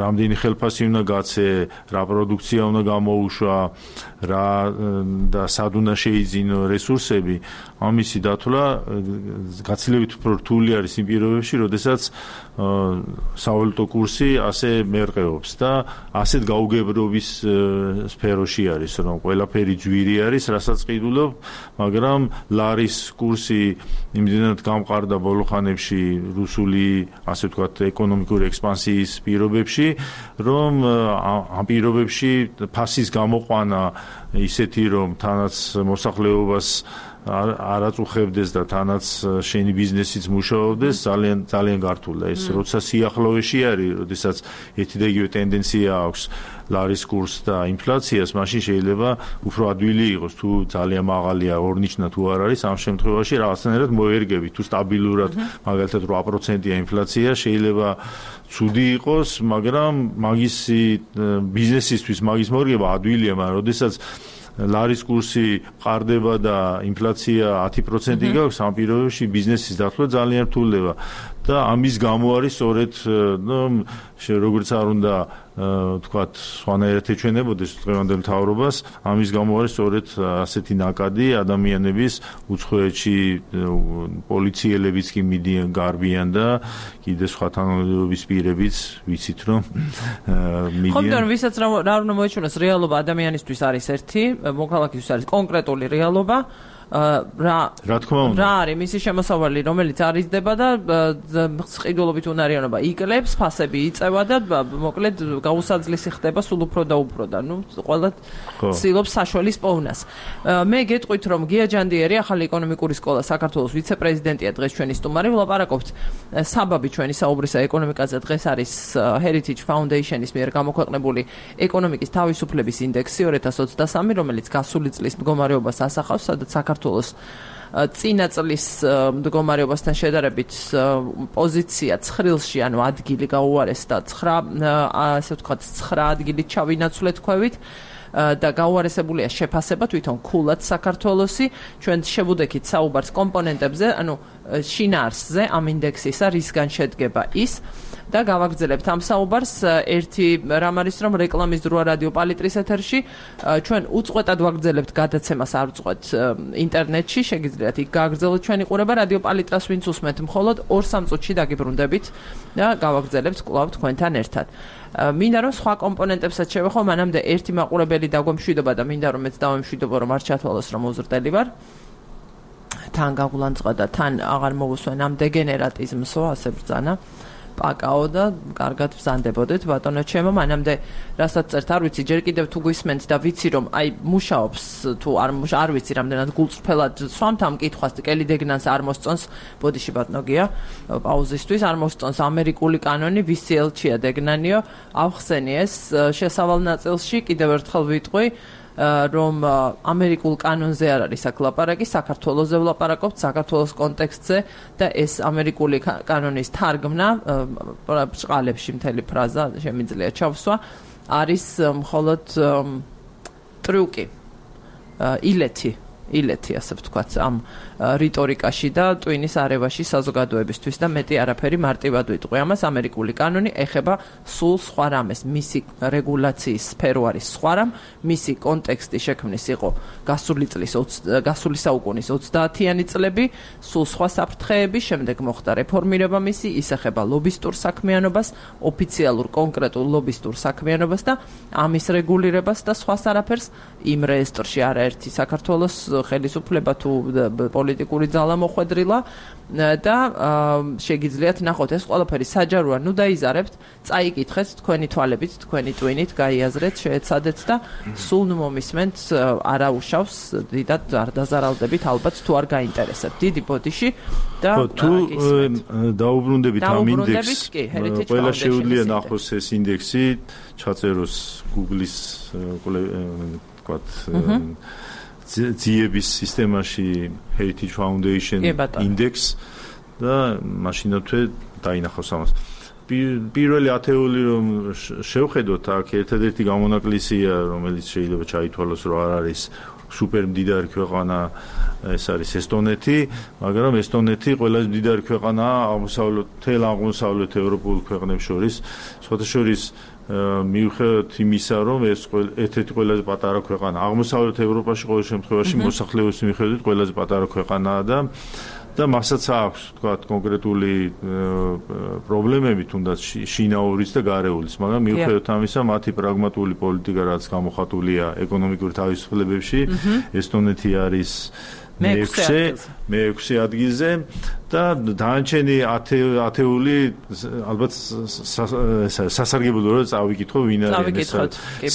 რამდენი ხელფასი უნდა გაცე, რა პროდუქცია უნდა გამოუშვა, რა და სად უნდა შეიძინო რესურსები, ამისი დათვლა გაცილებით უფრო რთული არის იმ პირობებში, როდესაც სავალუტო კურსი ასე მერყეობს და ასეთ გაუგებრობის სფეროში არის, რომ ყველაფერი ძვირი არის, რასაც ყიდულობ, მაგრამ ლარის კურსი იმდენად გამყარდა ბოლო ხანებში რუსული, ასე ვთქვათ, ეკონომიკური ექსპანსიის პირობებში, რომ ამ პირობებში ფასის გამოყვანა ისეთი, რომ თანაც მოსახლეობას არ აწუხებდეს და თანაც შენი ბიზნესიც მუშაობდეს, ძალიან ძალიან გართულდა ეს. როცა სიახლოვეში არის, როდესაც ერთი და იგივე ტენდენცია აქვს ლარის კურსს და ინფლაციას, მაშინ შეიძლება უფრო ადვილი იყოს, თუ ძალიან მაღალია, ორნიშნა თუ არ არის, ამ შემთხვევაში რაღაცნაირად მოერგებით, თუ სტაბილურად, მაგალითად რვა პროცენტია ინფლაცია, შეიძლება ცუდი იყოს, მაგრამ მაგისი ბიზნესისთვის მაგის მორგება ადვილია, მაგრამ როდესაც ლარის კურსი ყარდება და ინფლაცია ათი პროცენტი გაქვს, ამ პირობებში ბიზნესის დათვლა ძალიან რთულდება და ამის გამო არის სწორედ, ნუ როგორც არ უნდა თქვათ, სხვანაირად ეჩვენებოდეს დღევანდელ მთავრობას, ამის გამო არის სწორედ ასეთი ნაკადი ადამიანების უცხოეთში პოლიციელებიც კი მიდიან, გარბიან და კიდე სხვა თანამდებობის პირებიც ვიცით, რომ მიდიან. ხომ ვისაც რა უნდა მოეჩვენოს რეალობა ადამიანისთვის არის ერთი, მოქალაქისთვის არის კონკრეტული რეალობა. რა რა თქმა უნდა რა არის მისი შემოსავალი, რომელიც არიზდება და ყიდულობით უნარიანობა იკლებს, ფასები იწევა და მოკლედ გაუსაძლისი ხდება სულ უფრო და უფრო და ნუ ყველა ცდილობს საშუალის პოვნას. მე გეტყვით, რომ გია ჯანდიერი, ახალი ეკონომიკური სკოლა საქართველოს ვიცე-პრეზიდენტია, დღეს ჩვენი სტუმარი. ვლაპარაკობთ საბაბი ჩვენი საუბრისა ეკონომიკაზე. დღეს არის Heritage Foundation-ის მიერ გამოქვეყნებული ეკონომიკის თავისუფლების ინდექსი ორი ათას ოცდასამი, რომელიც გასული წლის მდგომარეობას ასახავს, სადაც საქართველოს წინა წლის მდგომარეობასთან შედარებით პოზიცია ცხრილში, ანუ ადგილი გაუარესდა ცხრა, ასე ვთქვათ, ცხრა ადგილით ჩავინაცვლეთ ქვევით და გაუარესებულია შეფასება თვითონ ქულად საქართველოსი. ჩვენ შევუდექით საუბარს კომპონენტებზე, ანუ შინაარსზე ამ ინდექსისა, რისგან შედგება ის და გავაგრძელებთ ამ საუბარს. ერთი რამ არის, რომ რეკლამის დროა რადიო პალიტრის ეთერში, ჩვენ უწყვეტად ვაგრძელებთ გადაცემას, არ ვწყვეთ ინტერნეტში, შეგიძლიათ იქ გააგრძელოთ ჩვენი ყურება. რადიო პალიტრას ვინც უსმენთ, მხოლოდ ორ სამ წუთში დაგიბრუნდებით და გავაგრძელებთ კვლავ თქვენთან ერთად. მინდა რომ სხვა კომპონენტებსაც შევეხო, მანამდე ერთი მაყურებელი დაგვემშვიდობა და მინდა რომ მეც დავემშვიდობო, რომ არ ჩათვალოს, რომ უზრდელი ვარ. თან გაგულანწყა და თან აღარ მოусვენ ამ დეგენერატიზმსო, ასე ბრძანა. პაკაო და კარგად ვზანდებოდეთ ბატონო ჩემო, მანამდე რასაც წერთ არ ვიცი, ჯერ კიდევ თუ გვისმენთ და ვიცი რომ აი მუშაობს თუ არ არ ვიცი რამდენად გულწრფელად სვამთ ამ კითხვას, კელი დეგნანს არ მოსწონს, ბოდიში ბატონო გია პაუზისთვის არ მოსწონს ამერიკული კანონი, ვისი ელჩია დეგნანიო, ავხსენი ეს შესავალ ნაწილში, კიდევ ერთხელ ვიტყვი რომ ამერიკულ კანონზე არ არის აქ ლაპარაკი, საქართველოზე ვლაპარაკობთ, საქართველოს კონტექსტზე და ეს ამერიკული კანონის თარგმნა ბრწყალებში მთელი ფრაზა შემიძლია ჩავსვა, არის მხოლოდ ტრიუკი ილეთი ილეთი ასე ვთქვათ ამ რიტორიკაში და ტვინის არევაში საზოგადოებისთვის და მეტი არაფერი მარტივად ვიტყვი ამას ამერიკული კანონი ეხება სულ სხვა რამეს მისი რეგულაციის სფერო არის სხვა რამ მისი კონტექსტი შექმნის იყო გასული წლის გასული საუკუნის ოცდაათიანი წლები სულ სხვა საფრთხეები შემდეგ მოხდა რეფორმირება მისი ის ეხება ლობისტურ საქმიანობას ოფიციალურ კონკრეტულ ლობისტურ საქმიანობას და ამის რეგულირებას და სხვას არაფერს იმ რეესტრში არაერთი საქართველოს ხელისუფლება თუ პოლიტიკური ძალა მოხვედრილა და შეგიძლიათ ნახოთ ეს ყველაფერი საჯაროა ნუ დაიზარებთ წაიკითხეთ თქვენი თვალებით თქვენი ტვინით გაიაზრეთ შეეცადეთ და სულ ნუ მომისმენთ არაუშავს დიდად არ დაზარალდებით ალბათ თუ არ გაინტერესებთ დიდი ბოდიში და თუ დაუბრუნდებით ამ ინდექსს ყველა შეუძლია ნახოს ეს ინდექსი ჩაწეროს Google-ის ვთქვათ ძიების სისტემაში Heritage Foundation Index და მაშინათვე დაინახავს ამას. პირველი ათეული რომ შევხედოთ აქ ერთადერთი გამონაკლისია რომელიც შეიძლება ჩაითვალოს რომ არ არის სუპერ მდიდარი ქვეყანა ეს არის ესტონეთი, მაგრამ ესტონეთი ყველაზე მდიდარი ქვეყანაა აღმოსავლეთ თელ აღმოსავლეთ ევროპულ ქვეყნებს შორის, სხვათა შორის მიუხედავად იმისა, რომ ეს ერთ-ერთი ყველაზე პატარა ქვეყანა აღმოსავლეთ ევროპაში ყოველ შემთხვევაში მოსახლეობის მიხედვით ყველაზე პატარა ქვეყანაა და და მასაც აქვს თქვა კონკრეტული პრობლემები თუნდაც შინაურის და გარეულის, მაგრამ მიუხედავად ამისა მათი პრაგმატული პოლიტიკა რაც გამოხატულია ეკონომიკური თავისუფლებებში ესტონეთი არის მეექვსე მეექვსე ადგილზე და დანარჩენი ათეული ალბათ სასარგებლოა რომ წავიკითხო ვინ არის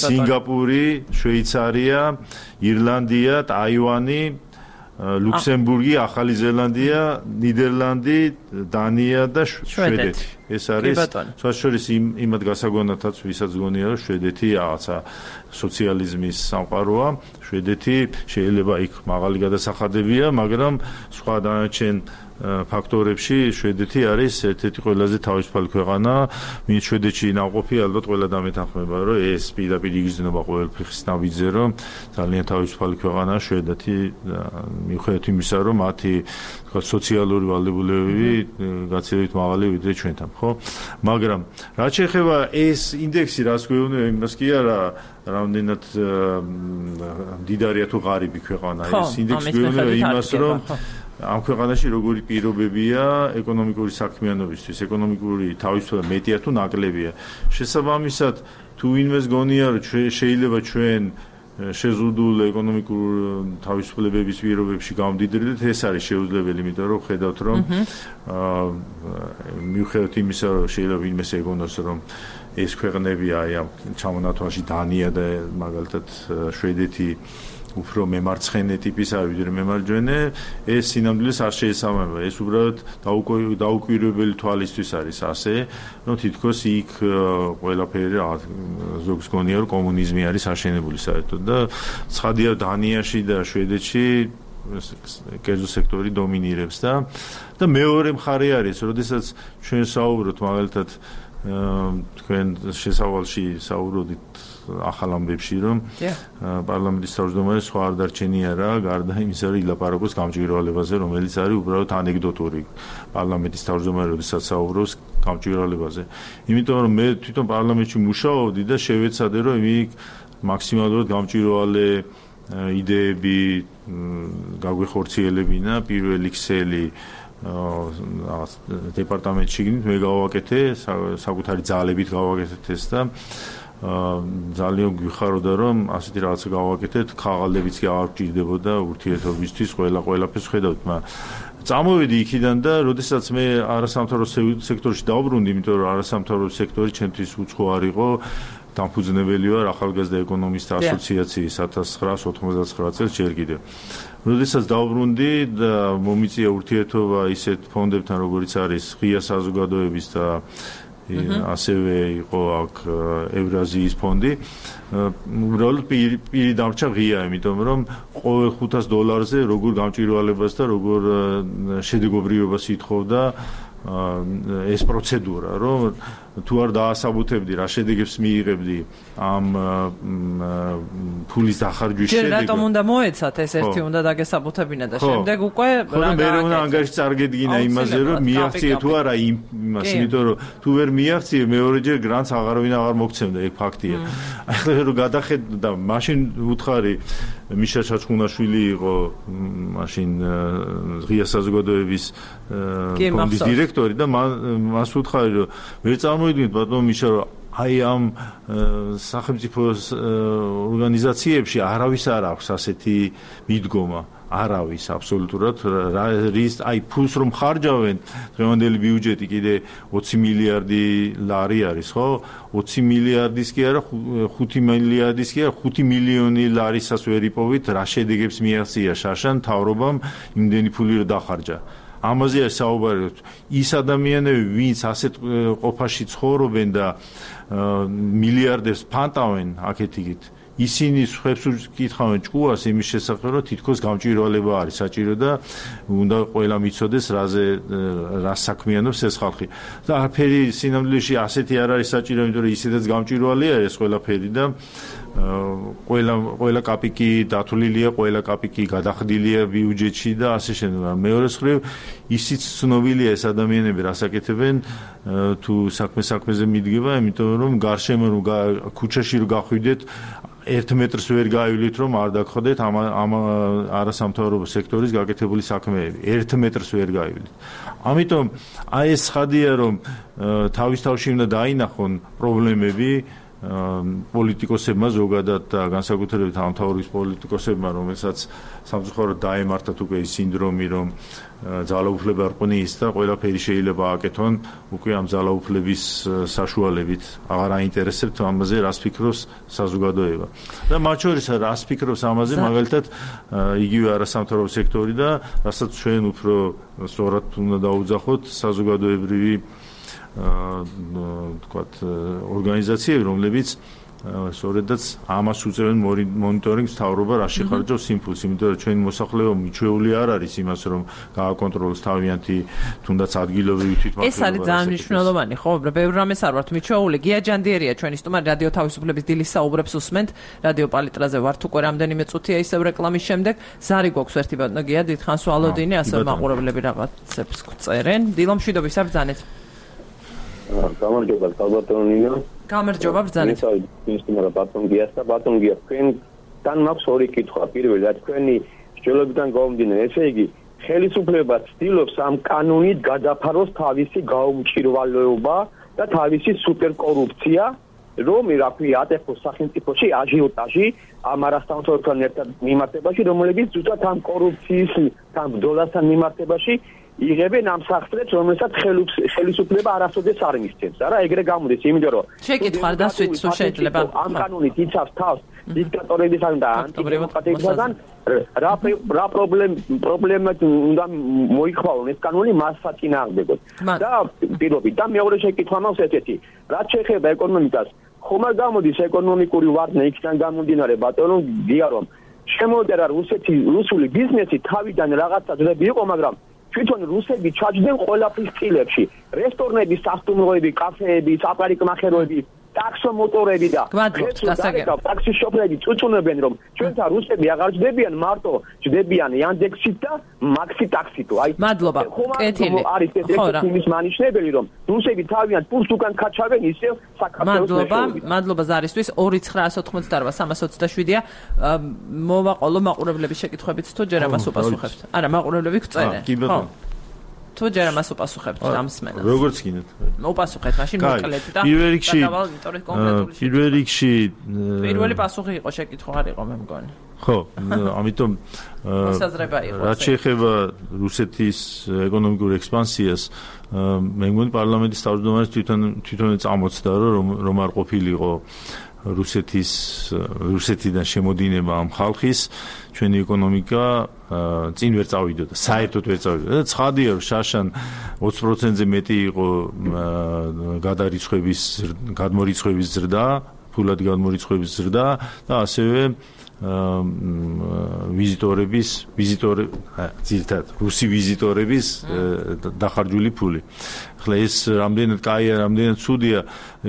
სინგაპური, შვეიცარია, ირლანდია, ტაივანი, ლუქსემბურგი, ახალი ზელანდია, ნიდერლანდი, დანია და შვედეთი. ეს არის სხვაშორის იმად გასაგონათაც ვისაც გონია რომ შვედეთი რაღაცა სოციალიზმის სამყაროა. შვედეთი შეიძლება იქ მაღალი გადასახადებია, მაგრამ სხვა დანარჩენ ფაქტორებში შვედეთი არის ერთ-ერთი ყველაზე თავისუფალი ქვეყანა. ვინც შვედეთში ნავყოფი ალბათ ყველა დამეთანხმება, რომ ეს პირდაპირ იგრძნობა ყველაფრის ნაბიჯზე, რომ ძალიან თავისუფალი ქვეყანაა შვედეთი, მიუხედავად იმისა, რომ მათი თქვა სოციალური ვალდებულებები გაცილებით მაღალი ვიდრე ჩვენთან, ხო? მაგრამ რაც შეეხება ეს ინდექსი, რაც გვეუბნება, იმას კი არა, რამდენად მდიდარია თუ ღარიბი ქვეყანა. ეს ინდექსი გვეუბნება იმას, რომ ამ ქვეყანაში როგორი პირობებია ეკონომიკური საქმიანობისთვის, ეკონომიკური თავისუფლება მეტია თუ ნაკლებია. შესაბამისად, თუ ვინმეს გონია, რომ შეიძლება ჩვენ შეზღუდულ ეკონომიკურ თავისუფლებების პირობებში გამდიდრდეთ, ეს არის შეუძლებელი, იმიტომ რომ ხედავთ, რომ მიუხედავად იმისა, რომ შეიძლება ვინმეს ეგონოს, რომ ეს ქვეყნები აი ამ ჩამონათვალში დანია და მაგალითად შვედეთი უფრო მემარცხენე ტიპის არის ვიდრე მემარჯვენე, ეს სინამდვილეს არ შეესაბამება. ეს უბრალოდ დაუკვირვებელი თვალისთვის არის ასე, რომ თითქოს იქ ყველაფერი ზოგს გონია, რომ კომუნიზმი არის აშენებული საერთოდ და ცხადია დანიაში და შვედეთში კერძო სექტორი დომინირებს და და მეორე მხარე არის, როდესაც ჩვენ საუბრობთ მაგალითად თქვენ შესავალში საუბრობთ ახალ ამბებში, რომ პარლამენტის თავმჯდომარე სხვა არ დარჩენია რა, გარდა იმისა, რომ ილაპარაკოს გამჭვირვალებაზე, რომელიც არის უბრალოდ ანეკდოტური. პარლამენტის თავმჯდომარე როდესაც საუბრობს გამჭვირვალებაზე. იმიტომ რომ მე თვითონ პარლამენტში მუშაობდი და შევეცადე, რომ იქ მაქსიმალურად გამჭვირვალე იდეები გაგვეხორციელებინა პირველი ქსელი დეპარტამენტში მე გავაკეთე, საკუთარი ძალებით გავაკეთეთ ეს და ძალიან გვიხაროდა რომ ასეთი რაღაცა გავაკეთეთ, ხაღალდებიც კი არ გჭირდებოდა ურთიერთობისთვის, ყველა ყველაფერს ხედავთ, მაგრამ წამოვედი იქიდან და როდესაც მე არასამთავრობო სექტორში დავბრუნდი, იმიტომ რომ არასამთავრობო სექტორი ჩემთვის უცხო არ იყო, დამფუძნებელი ვარ ახალგაზრდა ეკონომისტთა ასოციაციის ათას ცხრაას ოცდათხმეტ წელს ჯერ კიდევ. როდესაც დავბრუნდი და მომიწია ურთიერთობა ისეთ ფონდებთან, როგორიც არის ღია საზოგადოების და ასევე იყო აქ ევრაზიის ფონდი. უბრალოდ პირი დამრჩა ღია, იმიტომ რომ ყოველ ხუთას დოლარზე როგორ გამჭვირვალებას და როგორ შედეგობრივობას ითხოვდა ეს პროცედურა, რომ თუ არ დაასაბუთებდი რა შედეგებს მიიღებდი ამ ფულის დახარჯვის შედეგად. ჯერ რატომ უნდა მოეცათ ეს ერთი უნდა დაგესაბუთებინა და შემდეგ უკვე რა მე უნდა ანგარიში წარგედგინა იმაზე რომ მიაღწიე თუ არა იმას, იმიტომ რომ თუ ვერ მიაღწიე მეორეჯერ გრანტს აღარავინ აღარ მოგცემდა, ეგ ფაქტია. ახლა რომ გადახედა მაშინ უთხარი მიშა ჩაჩხუნაშვილი იყო მაშინ ღია საზოგადოების ფონდის დირექტორი და მას უთხარი რომ ვერ წარმოვიდგინეთ ბატონო მიშა რომ აი ამ სახელმწიფო ორგანიზაციებში არავის არ აქვს ასეთი მიდგომა არავის აბსოლუტურად რის აი ფულს რომ ხარჯავენ დღევანდელი ბიუჯეტი კიდე ოცი მილიარდი ლარი არის ხო ოცი მილიარდის კი არა ხუთი მილიარდის კი არა ხუთი მილიონი ლარისაც ვერ იპოვით რა შედეგებს მიაღწია შაშან მთავრობამ იმდენი ფული რომ დახარჯა ამაზე საუბარი ის ადამიანები ვინც ასეთ ყოფაში ცხოვრობენ და მილიარდებს ფანტავენ აქეთ-იქით ისინი ხებს უკითხავენ ჭკუას იმის შესახებ რომ თითქოს გამჭვირვალება არის საჭირო და უნდა ყველა მიცოდეს რაზე რა საქმიანობს ეს ხალხი და არაფერი სინამდვილეში ასეთი არ არის საჭირო იმიტომ რომ ისედაც გამჭვირვალეა ეს ყველაფერი და ყველა ყველა კაპიკი დათვლილია ყველა კაპიკი გადახდილია ბიუჯეტში და ასე შემდეგ მეორე მხრივ ისიც ცნობილია ეს ადამიანები რას აკეთებენ თუ საქმე საქმეზე მიდგება იმიტომ რომ გარშემო ქუჩაში რო გახვიდეთ ერთ მეტრს ვერ გაივლით რომ არ დაგხვდეთ ამ ამ არასამთავრობო სექტორის გაკეთებული საქმეები ერთ მეტრს ვერ გაივლით ამიტომ აი ეს ხადია რომ თავის თავში უნდა დაინახონ პრობლემები პოლიტიკოსებმა ზოგადად და განსაკუთრებით ამ თავის პოლიტიკოსებმა რომელსაც სამწუხაროდ დაემართათ უკვე ის სინდრომი რომ ძალაუფლება რყნის და ყველაფერი შეიძლება აკეთონ უკვე ამ ძალაუფლების საშუალებით აღარ აინტერესებთ ამაზე რას ფიქრობს საზოგადოება და მათ შორის რას ფიქრობს ამაზე მაგალითად იგივე არასამთავრობო სექტორი და რასაც ჩვენ უფრო სწორად უნდა დაუძახოთ საზოგადოებრივი თქვათ ორგანიზაციები რომლებიც სწორედაც ამას უწევენ მონიტორინგს მთავრობა რა შეხარჯავს იმპულსს იმიტომ რომ ჩვენი მოსახლეობა მიჩვეული არ არის იმას რომ გააკონტროლოს თავიანთი თუნდაც ადგილობრივი თვითმმართველობა ეს არის ძალიან მნიშვნელოვანი ხო ბევრ რამეს არ ვართ მიჩვეული გია ჯანდიერია ჩვენი სტუმარი რადიო თავისუფლების დილის საუბრებს უსმენთ რადიო პალიტრაზე ვართ უკვე რამდენიმე წუთია ისევ რეკლამის შემდეგ ზარი გვაქვს ერთი ბატონო გია დიდხანს ვალოდინი ასე მაყურებლები რაღაცებს წერენ დილომშვიდობის არ ბრძანეთ გამარჯობა ალბათონინო გამარჯობა ბრძანეთ ინსტიტუტი ბატონ გიას და ბატონ გია თქვენთან მაქვს ორი კითხვა პირველად თქვენი სჯელობიდან გამომდინარე ესე იგი ხელისუფლება ცდილობს ამ კანონით გადაფაროს თავისი გაუმჭირვალეობა და თავისი სუპერკორუფცია რომ რა ქვია ატეხოს სახელმწიფოში აჟიოტაჟი ამ არასამთავრობოთან ერთად მიმართებაში რომელიც ზუსტად ამ კორუფციის ამ ბრძოლასთან მიმართებაში იღებენ ამ სახსრებს, რომელსაც ხელისუფლება არასოდეს არ მისცემს. არა, ეგრე გამოდის, იმიტომ რომ შეკითხვა დასვით თუ შეიძლება ამ კანონით იცავს თავს დიქტატორებისგან და ანტიდემოკრატებისგან რა რა პრობლემა უნდა მოიხვალონ ეს კანონი მას საწინააღმდეგოდ. და პირობით და მეორე შეკითხვა მაქვს ესეთი, რაც შეეხება ეკონომიკას, ხომ არ გამოდის ეკონომიკური ვარდნა იქიდან გამომდინარე ბატონო გია რომ შემოდერა რუსეთი რუსული ბიზნესი თავიდან რაღაცა ძრები იყო, მაგრამ თვითონ რუსები ჩაჯდნენ ყველაფრის წილებში რესტორნები, სასტუმროები, კაფეები, საპარიკმახეროები, ტაქსომოტორები და ტაქსის შოფერები წუწუნებენ რომ ჩვენთან რუსები აღარ ჯდებიან მარტო ჯდებიან Yandex-ით და Maxi taxi-ით აი მადლობა კეთილი არის ეს იმის მანიშნებელი რომ რუსები თავიანთ პულს უკან ქაჩავენ ისევ საქართველოს მადლობა მადლობა ზარისთვის ორი ცხრაას ოცდაოთხმოცდაარბა სამას ოცდაშვიდია მოვაყოლო მაყურებლების შეკითხვებით თუ ჯერ ამას უპასუხებთ არა მაყურებლები გწერენ ხო თუ ჯერ ამას უპასუხებთ ამ სმენას როგორც გინდათ მოპასუხეთ მაშინ მოკლედ და პირველ რიგში პირველ რიგში პირველი პასუხი იყო შეკითხვა არ იყო მე მგონი ხო ამიტომ მოსაზრება იყო რაც შეეხება რუსეთის ეკონომიკურ ექსპანსიას მე მგონი პარლამენტის თავმჯდომარეს თვითონ თვითონ წამოწდა რომ რომ არ ყოფილიყო რუსეთის რუსეთიდან შემოდინება ამ ხალხის ჩვენი ეკონომიკა წინ ვერ წავიდოდა საერთოდ ვერ წავიდოდა და ცხადია რომ შაშან ოცი პროცენტზე მეტი იყო გადარიცხვების გადმორიცხვების ზრდა ფულად გადმორიცხვების ზრდა და ასევე ვიზიტორების ვიზიტორი ძირთად რუსი ვიზიტორების დახარჯული ფული. ახლა ეს რამდენად კაია, რამდენად ცუდია,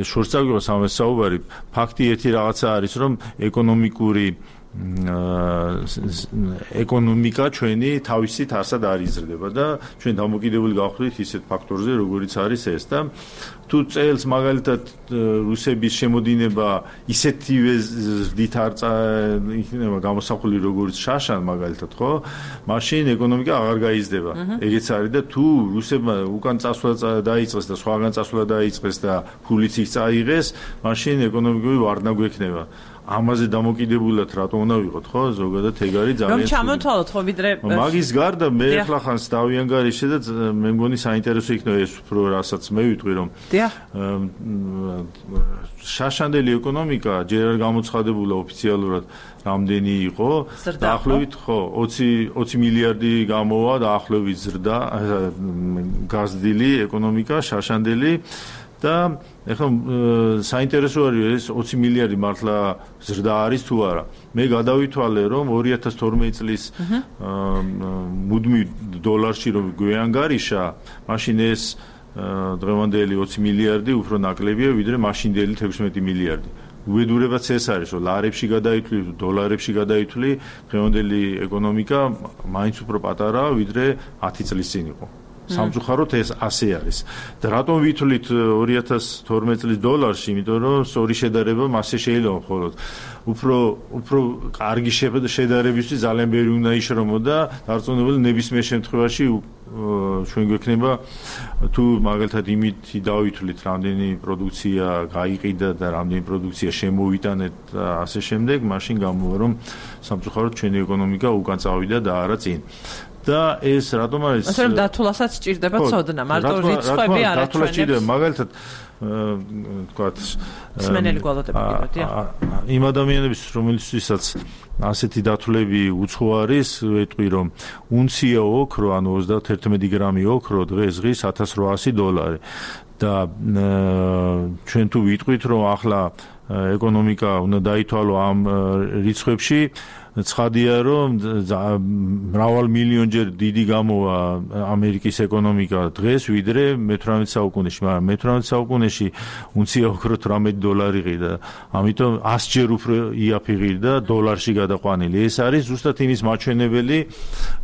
შორს წავიღოს ამას საუბარი. ფაქტი ერთი რაღაცა არის, რომ ეკონომიკური ეკონომიკა ჩვენი თავისით არსად არ იზრდება და ჩვენ დამოკიდებული გავხდით ისეთ ფაქტორზე, როგორიც არის ეს და თუ წელს მაგალითად რუსების შემოდინება ისეთივე ზრდით არ იქნება გამოსახული როგორც შაშან მაგალითად, ხო? მაშინ ეკონომიკა აღარ გაიზრდება. ეგეც არის და თუ რუსებმა უკან წასვლა დაიწყეს და სხვაგან წასვლა დაიწყეს და ფულიც იქ წაიღეს, მაშინ ეკონომიკური ვარდნა გვექნება. ამაზე დამოკიდებულად რატო უნდა ვიყოთ, ხო? ზოგადად ეგ არის ძალიან რომ ჩამოთვალოთ, ხო, ვიდრე მაგის გარდა მე ახლა ხანს დავიანგარიშე და მე მგონი საინტერესო იქნება ეს უფრო რასაც მე ვიტყვი რომ შაშანდელი ეკონომიკა ჯერ არ გამოცხადებულა ოფიციალურად რამდენი იყო დაახლოებით ხო ოცი მილიარდი გამოვა დაახლოებით ზრდა გაზრდილი ეკონომიკა შაშანდელი და ეხლა საინტერესო არის ეს ოცი მილიარდი მართლა ზრდა არის თუ არა. მე გადავითვალე რომ ორი ათას თორმეტი წლის მუდმივ დოლარში რომ გვეანგარიშა, მაშინ ეს დღევანდელი ოცი მილიარდი უფრო ნაკლებია ვიდრე მაშინდელი თექვსმეტი მილიარდი. უბედურებაც ეს არის, რომ ლარებში გადაითვლი, დოლარებში გადაითვლი, დღევანდელი ეკონომიკა მაინც უფრო პატარაა ვიდრე ათი წლის წინ იყო. სამწუხაროდ ეს ასე არის. და რატომ ვითვლით ორი ათას თორმეტი წლის დოლარში, იმიტომ რომ სწორი შედარება მასე შეიძლება მხოლოდ. უფრო უფრო კარგი შედარებისთვის ძალიან ბევრი უნდა იშრომოდა, დარწმუნებული ნებისმიერ შემთხვევაში ჩვენ გვექნება თუ მაგალითად იმით დავითვლით რამდენი პროდუქცია გაიყიდა და რამდენი პროდუქცია შემოვიტანეთ და ასე შემდეგ, მაშინ გამოვა რომ სამწუხაროდ ჩვენი ეკონომიკა უკან წავიდა და არა წინ. და ეს რატომ არის? ასე რომ დათვლასაც სჭირდება ცოდნა, მარტო რიცხვები არ აჩვენებს. მაგალითად თქვათ სმენელი გვალოდები გიყავდია. იმ ადამიანების რომელიცაც ასეთი დათვლები უცხო არის, ვეტყვი რომ უნცია ოქრო, ანუ ოცდაათი გრამი ოქრო დღეს ღირს ათას რვაასი დოლარი. და ჩვენ თუ ვიტყვით რომ ახლა ეკონომიკა უნდა დაითვალო ამ რიცხვებში, ცხადია რომ მრავალ მილიონჯერ დიდი გამოვა ამერიკის ეკონომიკა დღეს ვიდრე მეთვრამეტე საუკუნეში, მაგრამ მეთვრამეტე საუკუნეში უნცია ოქრო თვრამეტი დოლარი ყიდა, ამიტომ ასჯერ უფრო იაფი ყიდა დოლარში გადაყვანილი. ეს არის ზუსტად იმის მაჩვენებელი,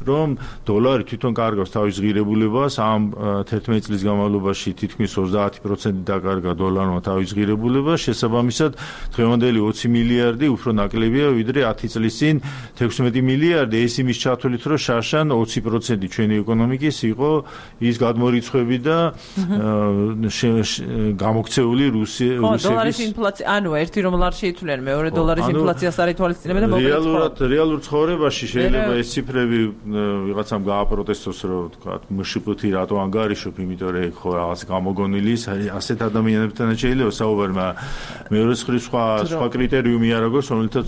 რომ დოლარი თვითონ კარგავს თავის ღირებულებას, ამ თერთმეტი წლის განმავლობაში თითქმის ოცდაათი პროცენტი დაკარგა დოლარმა თავის ღირებულებას, შესაბამისად დღევანდელი ოცი მილიარდი უფრო ნაკლებია ვიდრე ათი წლის წინ თექვსმეტი მილიარდი. ეს იმის ჩათვლით, რომ შაშან ოცი პროცენტი ჩვენი ეკონომიკის იყო ის გადმორიცხვები და გამოქცეული რუსი რუსების დოლარის ინფლაცია, ანუ ერთი რომ ლარში ითვლიან, მეორე დოლარის ინფლაციას არ ითვალისწინებენ და მოკლედ რეალურად რეალურ ცხოვრებაში შეიძლება ეს ციფრები ვიღაცამ გააპროტესტოს, რომ თქვა მშპ-ი რატო ანგარიშობ, იმიტომ რომ ხო რაღაც გამოგონილი ის ასეთ ადამიანებთან შეიძლება საუბარი, მაგრამ მეორე სხვა სხვა კრიტერიუმი არ აქვს, რომელთაც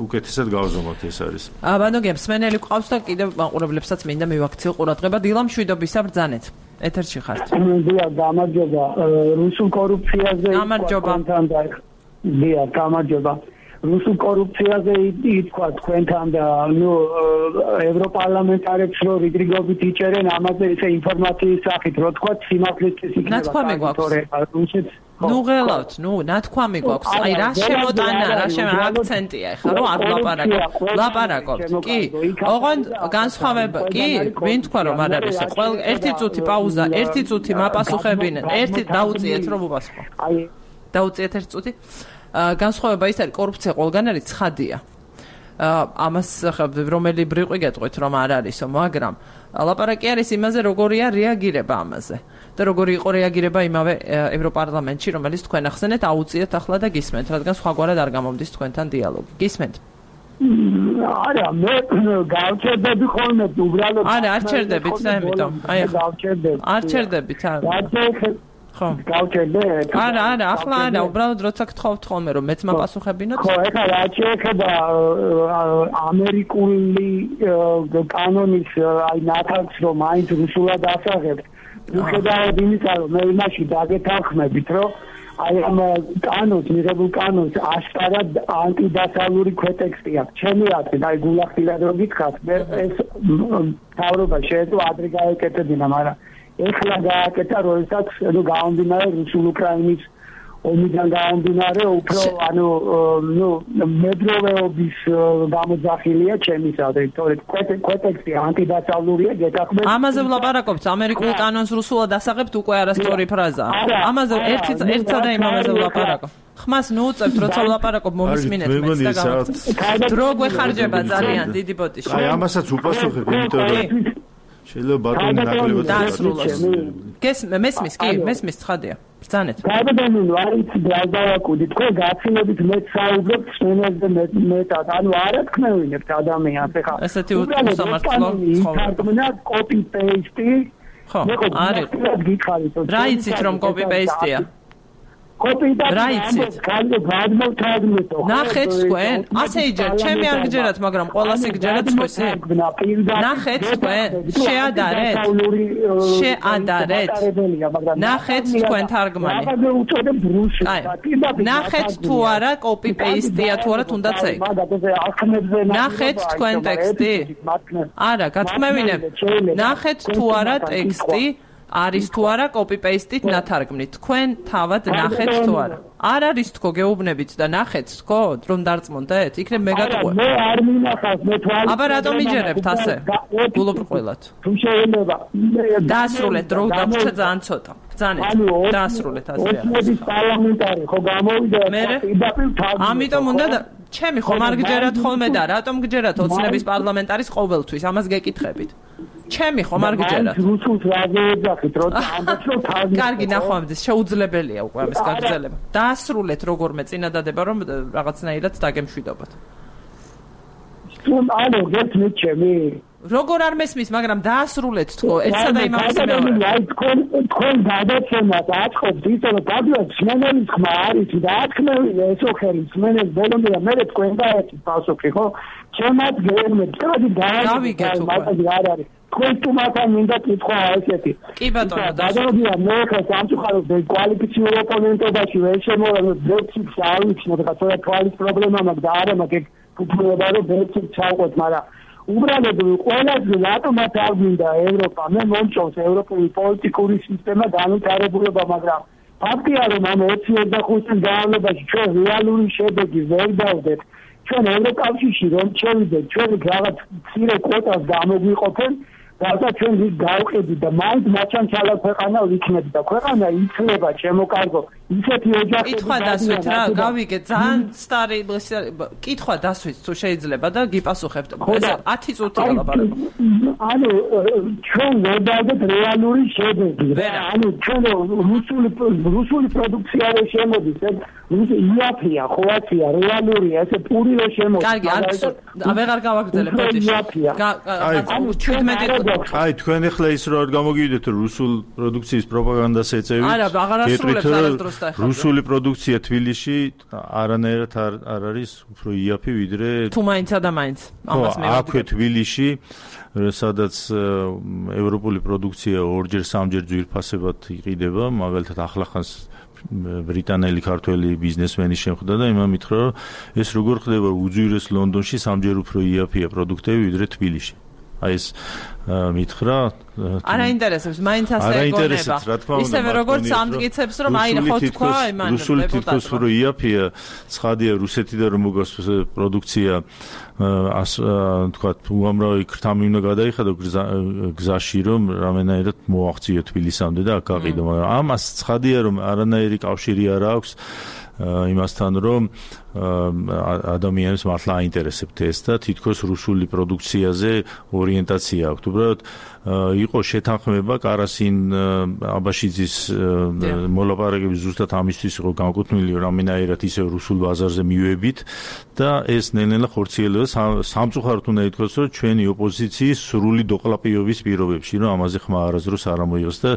უკეთესად გავზომოთ ეს არის. აბანო გემსმენელი ყავს და კიდევ მაყურებლებსაც მინდა მივაქციო ყურადღება დილა მშვიდობისა ბრძანეთ. ეთერში ხართ. დიახ, გამარჯობა. რუსულ კორუფციაზე გამარჯობა. დიახ, გამარჯობა. რუსულ კორუფციაზე ითქვა თქვენთან და ნუ ევროპარლამენტარებს რო რიგრიგობით იჭერენ ამაზე ესე ინფორმაციის სახით, რო თქვა სიმართლისთვის იქნება. ნათქვამი გვაქვს. ნუ ღელავთ, ნუ ნათქვამი გვაქვს. აი რა შემოტანა, რა შემო აქცენტია ხა, რომ არ ლაპარაკობ. ლაპარაკობთ. კი. ოღონდ განსხვავება, კი, ვინ თქვა რომ არ არის. ყველ ერთი წუთი პაუზა, ერთი წუთი მაპასუხებინენ. ერთი დაუწიეთ რომ უპასუხო. აი დაუწიეთ ერთი წუთი. განსხვავება ის არის, კორუფცია ყველგან არის, ცხადია. ამას რომელი ბრიყვი გეტყვით რომ არ არისო, მაგრამ ლაპარაკი არის იმაზე, როგორია რეაგირება ამაზე. და როგორი იყო რეაგირება იმავე ევროპარლამენტში, რომელიც თქვენ ახსენეთ, აუწიეთ ახლა და გისმენთ, რადგან სხვაგვარად არ გამომდის თქვენთან დიალოგი. გისმენთ? არა, მე გავჩერდები ხოლმე უბრალოდ. არა, არ ჩერდებით და ამიტომ. აი ახლა გავჩერდები. არ ჩერდებით, არა. ხო. გავჩერდეთ. არა, არა, ახლა არა, უბრალოდ როცა გთხოვთ ხოლმე რომ მეც მაპასუხებინოთ. ხო, ეხლა რაც შეეხება ამერიკული კანონის აი ნათარგს რომ მაინც რუსულად ასაღებთ. მიუხედავად იმისა, რომ მე იმაში დაგეთანხმებით, რომ აი ამ კანონს, მიღებულ კანონს აშკარად ანტიდასავლური ქვეტექსტი აქვს. ჩემი აზრით, აი გულახდილად რომ გითხრათ, მე ეს თავრობა შეეძლო ადრე გაეკეთებინა, მაგრამ ეხლა გააკეთა, როდესაც ნუ გამომდინარე რუსულ-უკრაინის ომიდან გამომდინარე, უფრო ანუ ნუ მედროვეობის გამოძახილია ჩემის აზრით, თორე ქვეტექსტი ანტიდასავლურია, გეთახმებით. ამაზე ვლაპარაკობთ, ამერიკულ კანონს რუსულად ასაღებთ უკვე არასწორი ფრაზაა. ამაზე ერთი ერთსა და იმ ამაზე ვლაპარაკობ. ხმას ნუ უწევთ, როცა ვლაპარაკობ, მომისმინეთ მეც და გავაკეთეთ. დრო გვეხარჯება ძალიან დიდი ბოდიში. აი ამასაც უპასუხებ, იმიტომ რომ შეიძლება ბატონი ნაკლებად დაასრულოს. მესმის, კი, მესმის ცხადია. ბრძანეთ. გადადანილო არის დალდავაკუდი, თქვენ გაცილებით მეც საუბრობთ სუნელზე მეტად, ანუ არ ათქმევინებთ ადამიანს, ეხლა. ესეთი უსამართლო ცხოველა. კოპი პეისტი. ხო, არის. რა იცით რომ კოპი პეისტია? რა იცით? ნახეთ თქვენ, ასე იჯერთ, ჩემი არ გჯერათ, მაგრამ ყველას იგჯერათ თქვენი. ნახეთ თქვენ, შეადარეთ. შეადარეთ. ნახეთ თქვენ თარგმანი. ნახეთ თუ არა კოპი პეისტია თუ არა თუნდაც ეგ. ნახეთ თქვენ ტექსტი? არა, გათქმევინებ. ნახეთ თუ არა ტექსტი? არის თუ არა კოპი პეისტით ნათარგმნით. თქვენ თავად ნახეთ თუ არა. არ არის თქო გეუბნებით და ნახეთ თქო რომ დარწმუნდეთ? იქნებ მე გატყვევ. მე არ მინახავს მე თვალის. აბა რატომ იჯერებთ ასე? გულუბრყვილად. თუ შეიძლება დაასრულეთ დრო დაგვრჩა ძალიან ცოტა. ბრძანეთ. დაასრულეთ ასე. ოცნების პარლამენტარი ხო გამოვიდა პირდაპირ თავი. ამიტომ უნდა ჩემი ხომ არ გჯერათ ხოლმე და რატომ გჯერათ ოცნების პარლამენტარის ყოველთვის? ამას გეკითხებით. ჩემი ხომ არ გჯერათ. რუსულს რა გეძახით, როცა ამბობთ რომ თავი. კარგი ნახვამდის, შეუძლებელია უკვე ამის გაგრძელება. დაასრულეთ როგორმე წინადადება რომ რაღაცნაირად დაგემშვიდობოთ. თუმ ანუ გეცნით ჩემი როგორ არ მესმის, მაგრამ დაასრულეთ თქო, ერთსა და იმავე მეორე. აი თქვენ თქვენ გადაცემათ აწყობთ ისე რომ გადაგვიათ სმენელის ხმა არის და ათქმევინე ესო ხელი სმენელის ბოლომდე და მე თქვენ დაეცით პასუხი ხო? ჩემად გეუბნეთ, კარგი გავიგეთ უკვე. არ არის. თქვენ თუმათან მინდა კითხვა ესეთი. კი ბატონო, დაგავდია მე ხა სამწუხაროდ კვალიფიციურ ოპონენტობაში ვერ შემოვედი, ბექს არ ვიცნობ, ხა თორე თვალის პრობლემა მაქვს და არა მაქვს ფუფუნება რომ ბექს ჩავყოთ, მაგრამ უბრალოდ ყველაზე რატომაც არ მინდა ევროპა, მე მომწონს ევროპული პოლიტიკური სისტემა განვითარებულობა, მაგრამ ფაქტია რომ ამ ოცი ოცდახუთი წლის განმავლობაში ჩვენ რეალური შედეგი ვერ დავდეთ. ჩვენ ევროკავშირში რომ შევიდეთ, ჩვენ რაღაც მცირე კვოტას გამოგვიყოფენ, რათა ჩვენ ის გავყიდით და მაინც მაჩანჩალა ქვეყანა ვიქნებით და ქვეყანა იცლება შემოკარგო ისეთი ოჯახები. კითხვა დასვით რა, გავიგე, ძალიან სტარი კითხვა დასვით თუ შეიძლება და გიპასუხებთ. ეს ათი წუთია ლაპარაკობ. ანუ ჩვენ ვერ დავდეთ რეალური შედეგი. ანუ ჩვენ რუსული რუსული პროდუქცია ვერ შემოდის, ეს იაფია, ხოაცია, რეალურია, ესე პური ვერ შემოდის. კარგი, არ ვეღარ გავაგრძელებ ბოდიში. ანუ ჩვენმეტი აი თქვენ ახლა ის რო არ გამოგივიდეთ რომ რუსულ პროდუქციის პროპაგანდას ეწევით. არა, აღარ ასრულებს არასდროს და ეხლა. რუსული პროდუქცია თბილისში არანაირად არ არ არის უფრო იაფი ვიდრე თუ მაინცა და მაინც ამას მე აქვე თბილისში სადაც ევროპული პროდუქცია ორჯერ სამჯერ ძვირფასებად იყიდება, მაგალითად ახლახანს ბრიტანელი ქართველი ბიზნესმენი შემხვდა და იმან მითხრა რომ ეს როგორ ხდება უძვირეს ლონდონში სამჯერ უფრო იაფია პროდუქტები ვიდრე თბილისში. აი ეს მითხრა არ აინტერესებს, მაინც ასე ეგონება. ისევე როგორც ამტკიცებს რომ აი ხო თქვა იმან რუსული თითქოს რო იაფია, ცხადია რუსეთიდან რომ მოგას პროდუქცია თქვა უამრავი ქრთამი უნდა გადაიხადო გზაში რომ რამენაირად მოაღწიო თბილისამდე და აქ გაყიდო, მაგრამ ამას ცხადია რომ არანაირი კავშირი არ აქვს იმასთან რომ ადამიანებს მართლა აინტერესებთ ეს და თითქოს რუსული პროდუქციაზე ორიენტაცია აქვს. უბრალოდ იყო შეთანხმება კარასინ აბაშიძის მოლაპარაკების ზუსტად ამისთვის იყო განკუთვნილი რამენაირად ისე რუსულ ბაზარზე მივებით და ეს ნელ-ნელა ხორციელდება სამწუხაროდ უნდა ითქვას რომ ჩვენი ოპოზიციის სრული დოყლაპიობის პირობებში რომ ამაზე ხმა არასდროს არ ამოიღოს და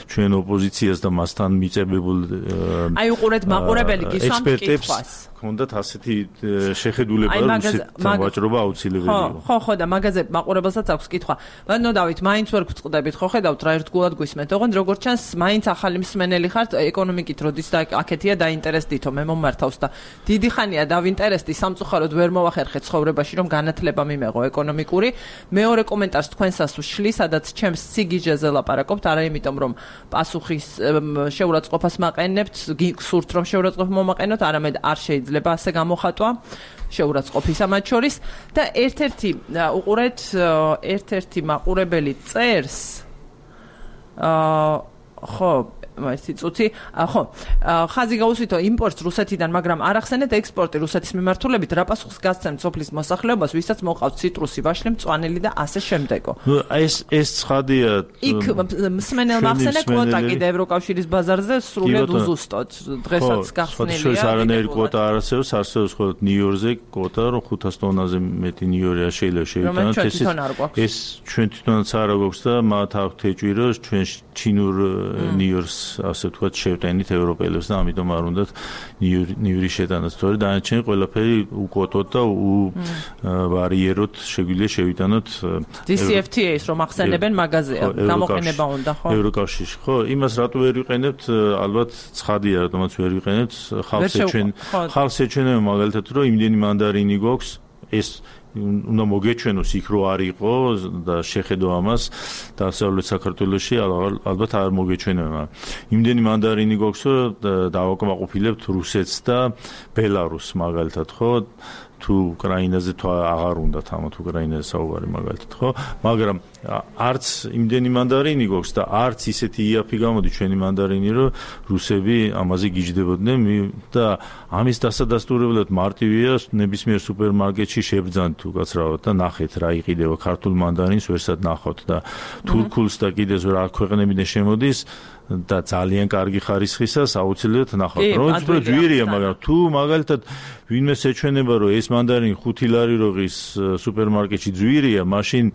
ჩვენ ოპოზიციას და მასთან მიწებებულ აი უყურეთ მაყურებელი გისვამთ კითხვას ჰქონდათ ასეთი შეხედულება, რომ რუსეთთან ვაჭრობა აუცილებელი იყო. ხო, ხო, და მაგაზე მაყურებელსაც აქვს კითხვა. ბატონო დავით, მაინც ვერ გვწყდებით, ხო ხედავთ რა ერთგულად გვისმენთ. ოღონდ როგორც ჩანს, მაინც ახალი მსმენელი ხართ ეკონომიკით, როდის და აქეთია დაინტერესდითო, მე მომართავს და დიდი ხანია დავინტერესდი, სამწუხაროდ ვერ მოვახერხეთ ცხოვრებაში, რომ განათლება მიმეღო ეკონომიკური. მეორე კომენტარს თქვენსას ვშლი, სადაც ჩემს სიგიჟეზე ლაპარაკობთ, არა იმიტომ რომ პასუხის შეურაცხყოფას მაყენებთ, გსურთ რომ შეურაცხყოფა მომაყენოთ, არამედ არ შეიძლება ასე გამოხატვა შეურაცხყოფისა მათ შორის და ერთ-ერთი უყურეთ ერთ-ერთი მაყურებელი წერს აა ხო ერთი წუთი ხო ხაზი გაუსვითო იმპორტს რუსეთიდან მაგრამ არ ახსენეთ ექსპორტი რუსეთის მიმართულებით რა პასუხს გასცემთ სოფლის მოსახლეობას ვისაც მოყავთ ციტრუსი ვაშლი მწვანილი და ასე შემდეგო ნუ ეს ეს ცხადია იქ მსმენელმა ახსენა კვოტა კიდე ევროკავშირის ბაზარზე სრულიად უზუსტოდ დღესაც გახსნილია ხო ეს არანაირი კვოტა არ არსებობს არსებობს მხოლოდ ნიუ-იორკზე კვოტა რომ ხუთას ტონაზე მეტი ნიუ-იორკია შეიძლება შევიტანოთ ეს ეს ჩვენ თვითონაც არ გვაქვს და მათ აქვთ ეჭვირო ჩვენ ჩინურ ნიუ-იორკს ასე ვთქვათ შევტენით ევროპელებს და ამიტომ არ უნდათ ნიუ-იორკის შეტანაც თორე დანარჩენი ყველაფერი უკვოტოთ და uvariierot შეგვიძლია შევიტანოთ დი სი ეფ თი ეის რომ ახსენებენ მაგაზია გამოყენება უნდა ხო ევროკავშირში ხო იმას რატო ვერ ვიყენებთ ალბათ ცხადია რატომაც ვერ ვიყენებთ ხალხს ეჩვენ ხალხს ეჩვენება მაგალითად რომ იმდენი მანდარინი გვაქვს ეს უნდა მოგეჩვენოს იქ რო არ იყო და შეხედო ამას დასავლეთ საქართველოში ალბათ არ მოგეჩვენება იმდენი მანდარინი გვაქვს რომ დავაკმაყოფილებთ რუსეთს და ბელარუსს მაგალითად ხო თუ უკრაინაზე თუ აღარ უნდათ ამათ უკრაინაზე საუბარი მაგალითად ხო მაგრამ არც იმდენი მანდარინი გვაქვს და არც ისეთი იაფი გამოდი ჩვენი მანდარინი რომ რუსები ამაზე გიждდებოდნენ და ამის დასადასტურებლად მარტივია ნებისმიერ სუპერმარკეტში შებრძანთ უკაცრავად და ნახეთ რა იყიდება ქართულ მანდარინს ვერსად ნახავთ და თურქულს და კიდეც რა ქვეყნებიდან შემოდის და ძალიან კარგი ხარისხისას აუცილებლად ნახავთ რომ უფრო ძვირია მაგრამ თუ მაგალითად ვინმე შეჩვენება რომ ეს მანდარინი ხუთი ლარი როგის სუპერმარკეტში ძვირია მაშინ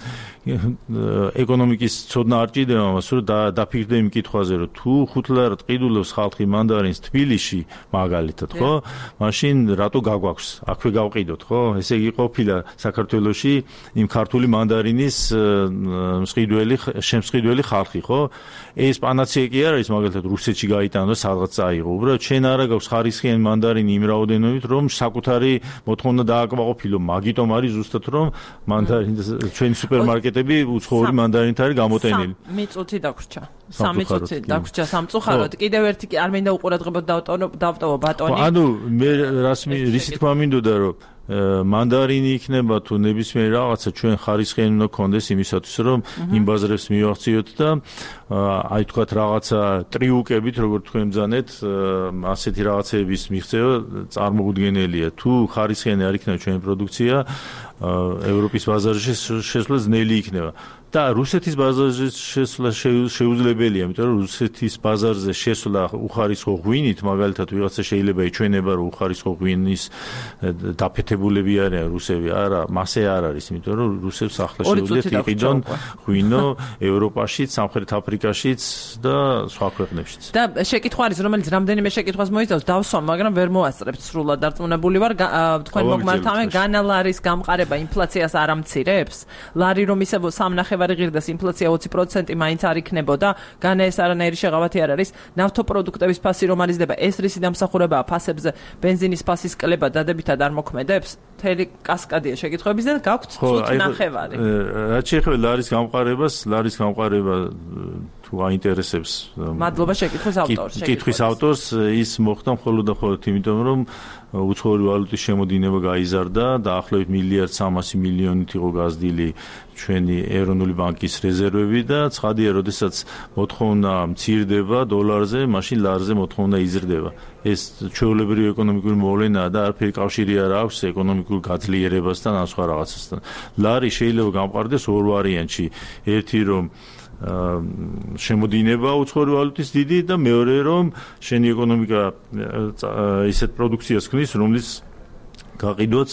ეკონომიკის ცოდნა არ ჭირდება მას რომ დაფიქრდე იმ კითხვაზე რომ თუ ხუთ ლარად ყიდულობს ხალხი მანდარინს თბილისში მაგალითად ხო მაშინ რატო გაგვაქვს აქვე გავყიდოთ ხო ესე იგი ყოფილა საქართველოში იმ ქართული მანდარინის მსყიდველი შემსყიდველი ხალხი ხო ეს პანაცეა კი არ არის მაგალითად რუსეთში გაიტანო სადღაც წაიღო უბრალოდ ჩვენ არა გაქვს ხარისხიანი მანდარინი იმ რაოდენობით რომ საკუთარი მოთხოვნა დააკმაყოფილო მაგიტომ არის ზუსტად რომ მანდარინი ჩვენი სუპერმარკეტები უცხოური მანდარინით არის გამოტენილი სამი წუთი დაგვრჩა სამი წუთი დაგვრჩა სამწუხაროდ კიდევ ერთი არ მინდა უყურადღებოდ დავტოვო ბატონი ანუ მე რასმი რისი თქმა მინდოდა რომ მანდარინი იქნება თუ ნებისმიერ რაღაცა ჩვენ ხარისხიანი უნდა გქონდეს იმისათვის რომ იმ ბაზრებს მივახციოთ და აი თქვათ რაღაცა ტრიუკებით როგორც თქვენ ბძანეთ ასეთი რაღაცების მიღწევა წარმოუდგენელია თუ ხარისხიანი არ იქნება ჩვენი პროდუქცია ევროპის ბაზარში შესვლა ძნელი იქნება და რუსეთის ბაზარზე შესვლა შეუძლებელია, იმიტომ რომ რუსეთის ბაზარზე შესვლა უხარისხო ღვინით, მაგალითად ვიღაცა შეიძლება ეჩვენება რომ უხარისხო ღვინის დაფეთებულები არიან რუსები, არა, მასე არ არის, იმიტომ რომ რუსებს ახლა შეუძლიათ იყიდონ ღვინო ევროპაშიც, სამხრეთ აფრიკაშიც და სხვა ქვეყნებშიც. და შეკითხვა არის, რომელიც რამდენიმე შეკითხვას მოიცავს, დავსვამ, მაგრამ ვერ მოასწრებთ სრულად დარწმუნებული ვარ, თქვენ მოგმართავენ განა ლარის გამყარება ინფლაციას არ ამცირებს? ლარი რომ ისე სამნახევარი ღირდეს ინფლაცია ოცი პროცენტი მაინც არ იქნებოდა, განა ეს არანაირი შეღავათი არ არის. ნავთობპროდუქტების ფასი რომ არიზდება, ეს რისი დამსახურებაა ფასებზე, ბენზინის ფასის კლება დადებითად არ მოქმედებს? მთელი კასკადია შეკითხვების და გაქვთ წუთ ნახევარი. რაც შეეხება ლარის გამყარებას, ლარის გამყარება თუ აინტერესებს მადლობა შეკითხვის ავტორს. შეკითხვის ავტორს ის მოხდა მხოლოდ და მხოლოდ იმიტომ რომ უცხოური ვალუტის შემოდინება გაიზარდა და ახლობით მილიარდ სამასი მილიონით იყო გაზრდილი ჩვენი ეროვნული ბანკის რეზერვები და ცხადია, როდესაც მოთხოვნა მცირდება დოლარზე, მაშინ ლარზე მოთხოვნა იზრდება. ეს ჩვეულებრივი ეკონომიკური მოვლენაა და არაფერი კავშირი არ აქვს ეკონომიკურ გაძლიერებასთან ან სხვა რაღაცასთან. ლარი შეიძლება გამყარდეს ორ ვარიანტში. ერთი რომ შემოდინება უცხოური ვალუტის დიდი და მეორე რომ შენი ეკონომიკა ისეთ პროდუქციას ქმნის, რომლის გაყიდვაც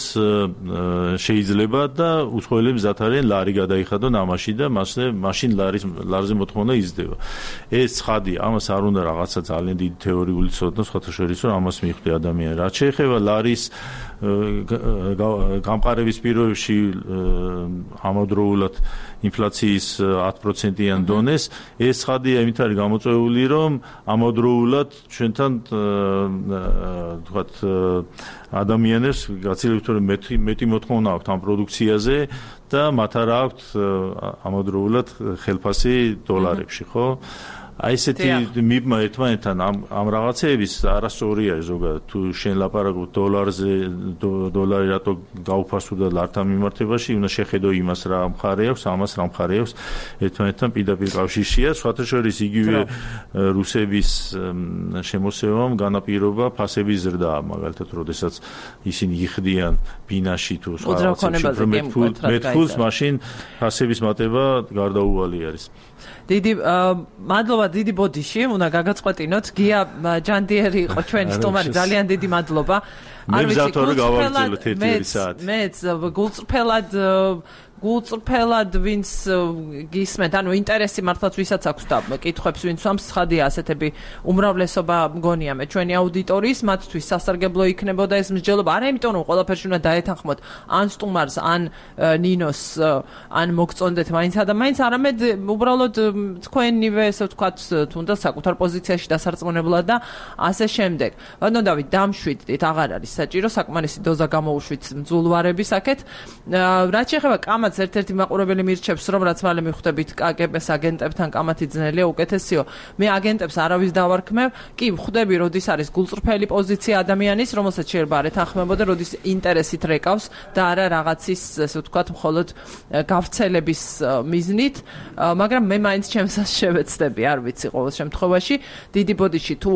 შეიძლება და უცხოელი მზად არიან ლარი გადაიხადონ ამაში და მასე მაშინ ლარის ლარზე მოთხოვნა იზრდება. ეს ცხადი, ამას არ უნდა რაღაცა ძალიან დიდი თეორიული ცოდნა, სხვათა შორის რომ ამას მიხვდი ადამიანი. რაც შეეხება ლარის გამყარების პირობებში ამავდროულად ინფლაციის ათი პროცენტიან დონეს, ეს ცხადია იმით არის გამოწვეული, რომ ამავდროულად ჩვენთან თქვათ ადამიანებს გაცილებით მეტი მეტი მოთხოვნა აქვთ ამ პროდუქციაზე და მათ არ აქვთ ამავდროულად ხელფასი დოლარებში, ხო? აი ესეთი მიბმა ერთმანეთთან ამ ამ რაღაცეების არასწორი არის ზოგადად თუ შენ ლაპარაკობ დოლარზე დოლარი რატო გაუფასურდა ლართან მიმართებაში უნდა შეხედო იმას რა მხარე აქვს ამას რა მხარე აქვს ერთმანეთთან პირდაპირ კავშირშია სხვათა შორის იგივე რუსების შემოსევამ განაპირობა ფასების ზრდა მაგალითად როდესაც ისინი იხდიან ბინაში თუ სხვა მეტფულს მაშინ ფასების მატება გარდაუვალი არის დიდი მადლობა დიდი ბოდიში უნდა გაგაწყვეტინოთ გია ჯანდიერი იყო ჩვენი სტუმარი ძალიან დიდი მადლობა არ ვიცი გულწრფელად გავაგრძელოთ ერთი საათი მეც გულწრფელად გულწრფელად ვინც გისმენთ ანუ ინტერესი მართლაც ვისაც აქვს და კითხვებს ვინც ვამს ცხადია ასეთები უმრავლესობა მგონია მე ჩვენი აუდიტორიის მათთვის სასარგებლო იქნებოდა ეს მსჯელობა არა იმიტომ რომ ყველაფერში უნდა დაეთანხმოთ ან სტუმარს ან ნინოს ან მოგწონდეთ მაინცა და მაინც არამედ უბრალოდ თქვენივე ესე ვთქვათ თუნდაც საკუთარ პოზიციაში დასარწმუნებლად და ასე შემდეგ ანუ დავით დამშვიდდით აღარ არის საჭირო საკმარისი დოზა გამოუშვით მძულვარების აქეთ რაც შეეხება კამათს ერთ-ერთი მაყურებელი მირჩევს რომ რაც მალე მიხვდებით კგბ-ს აგენტებთან კამათი ძნელია უკეთესიო მე აგენტებს არავის დავარქმევ კი ხვდები როდის არის გულწრფელი პოზიცია ადამიანის რომელსაც შეიძლება არ ეთანხმებოდა როდის ინტერესით რეკავს და არა რაღაცის ესე ვთქვათ მხოლოდ გავრცელების მიზნით მაგრამ მე მაინც ჩემსაც შევეცდები არ ვიცი ყოველ შემთხვევაში დიდი ბოდიში თუ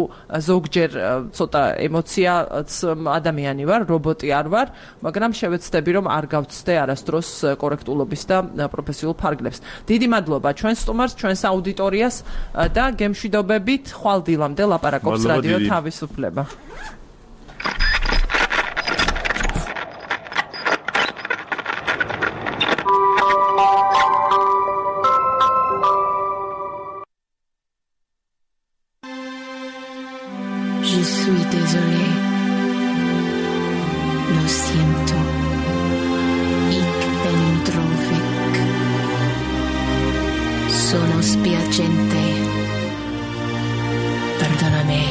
ზოგჯერ ცოტა ემოციაც ადამიანი ვარ რობოტი არ ვარ მაგრამ შევეცდები რომ არ გავცდე არასდროს კორექტულობის და პროფესიულ ფარგლებს. დიდი მადლობა ჩვენ სტუმარს, ჩვენს აუდიტორიას და გემშვიდობებით ხვალ დილამდე ლაპარაკობს რადიო თავისუფლება. Je suis désolé. Lo siento. Sono spiacente. Perdonami.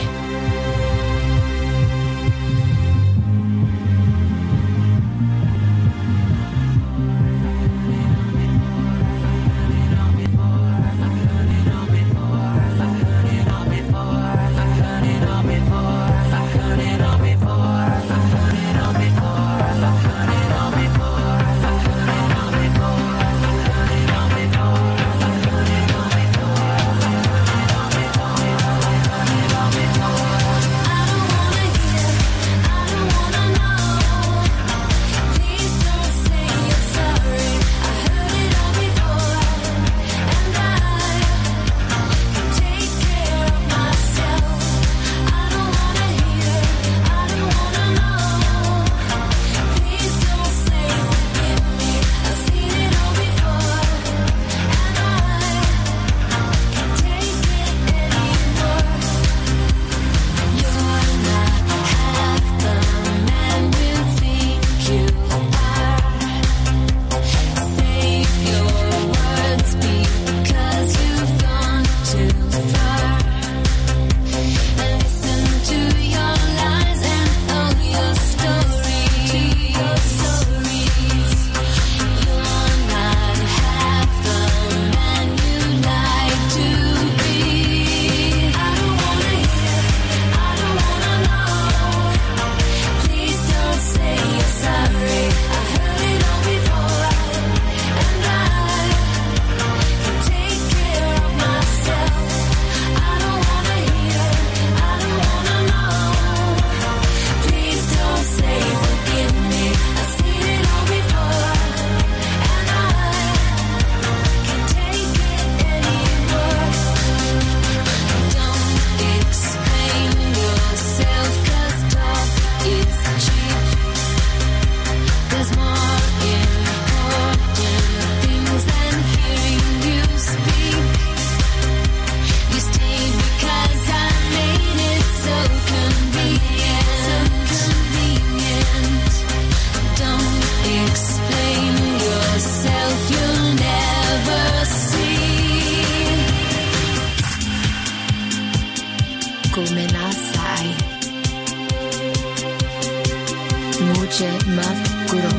Dice ma guru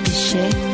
Dice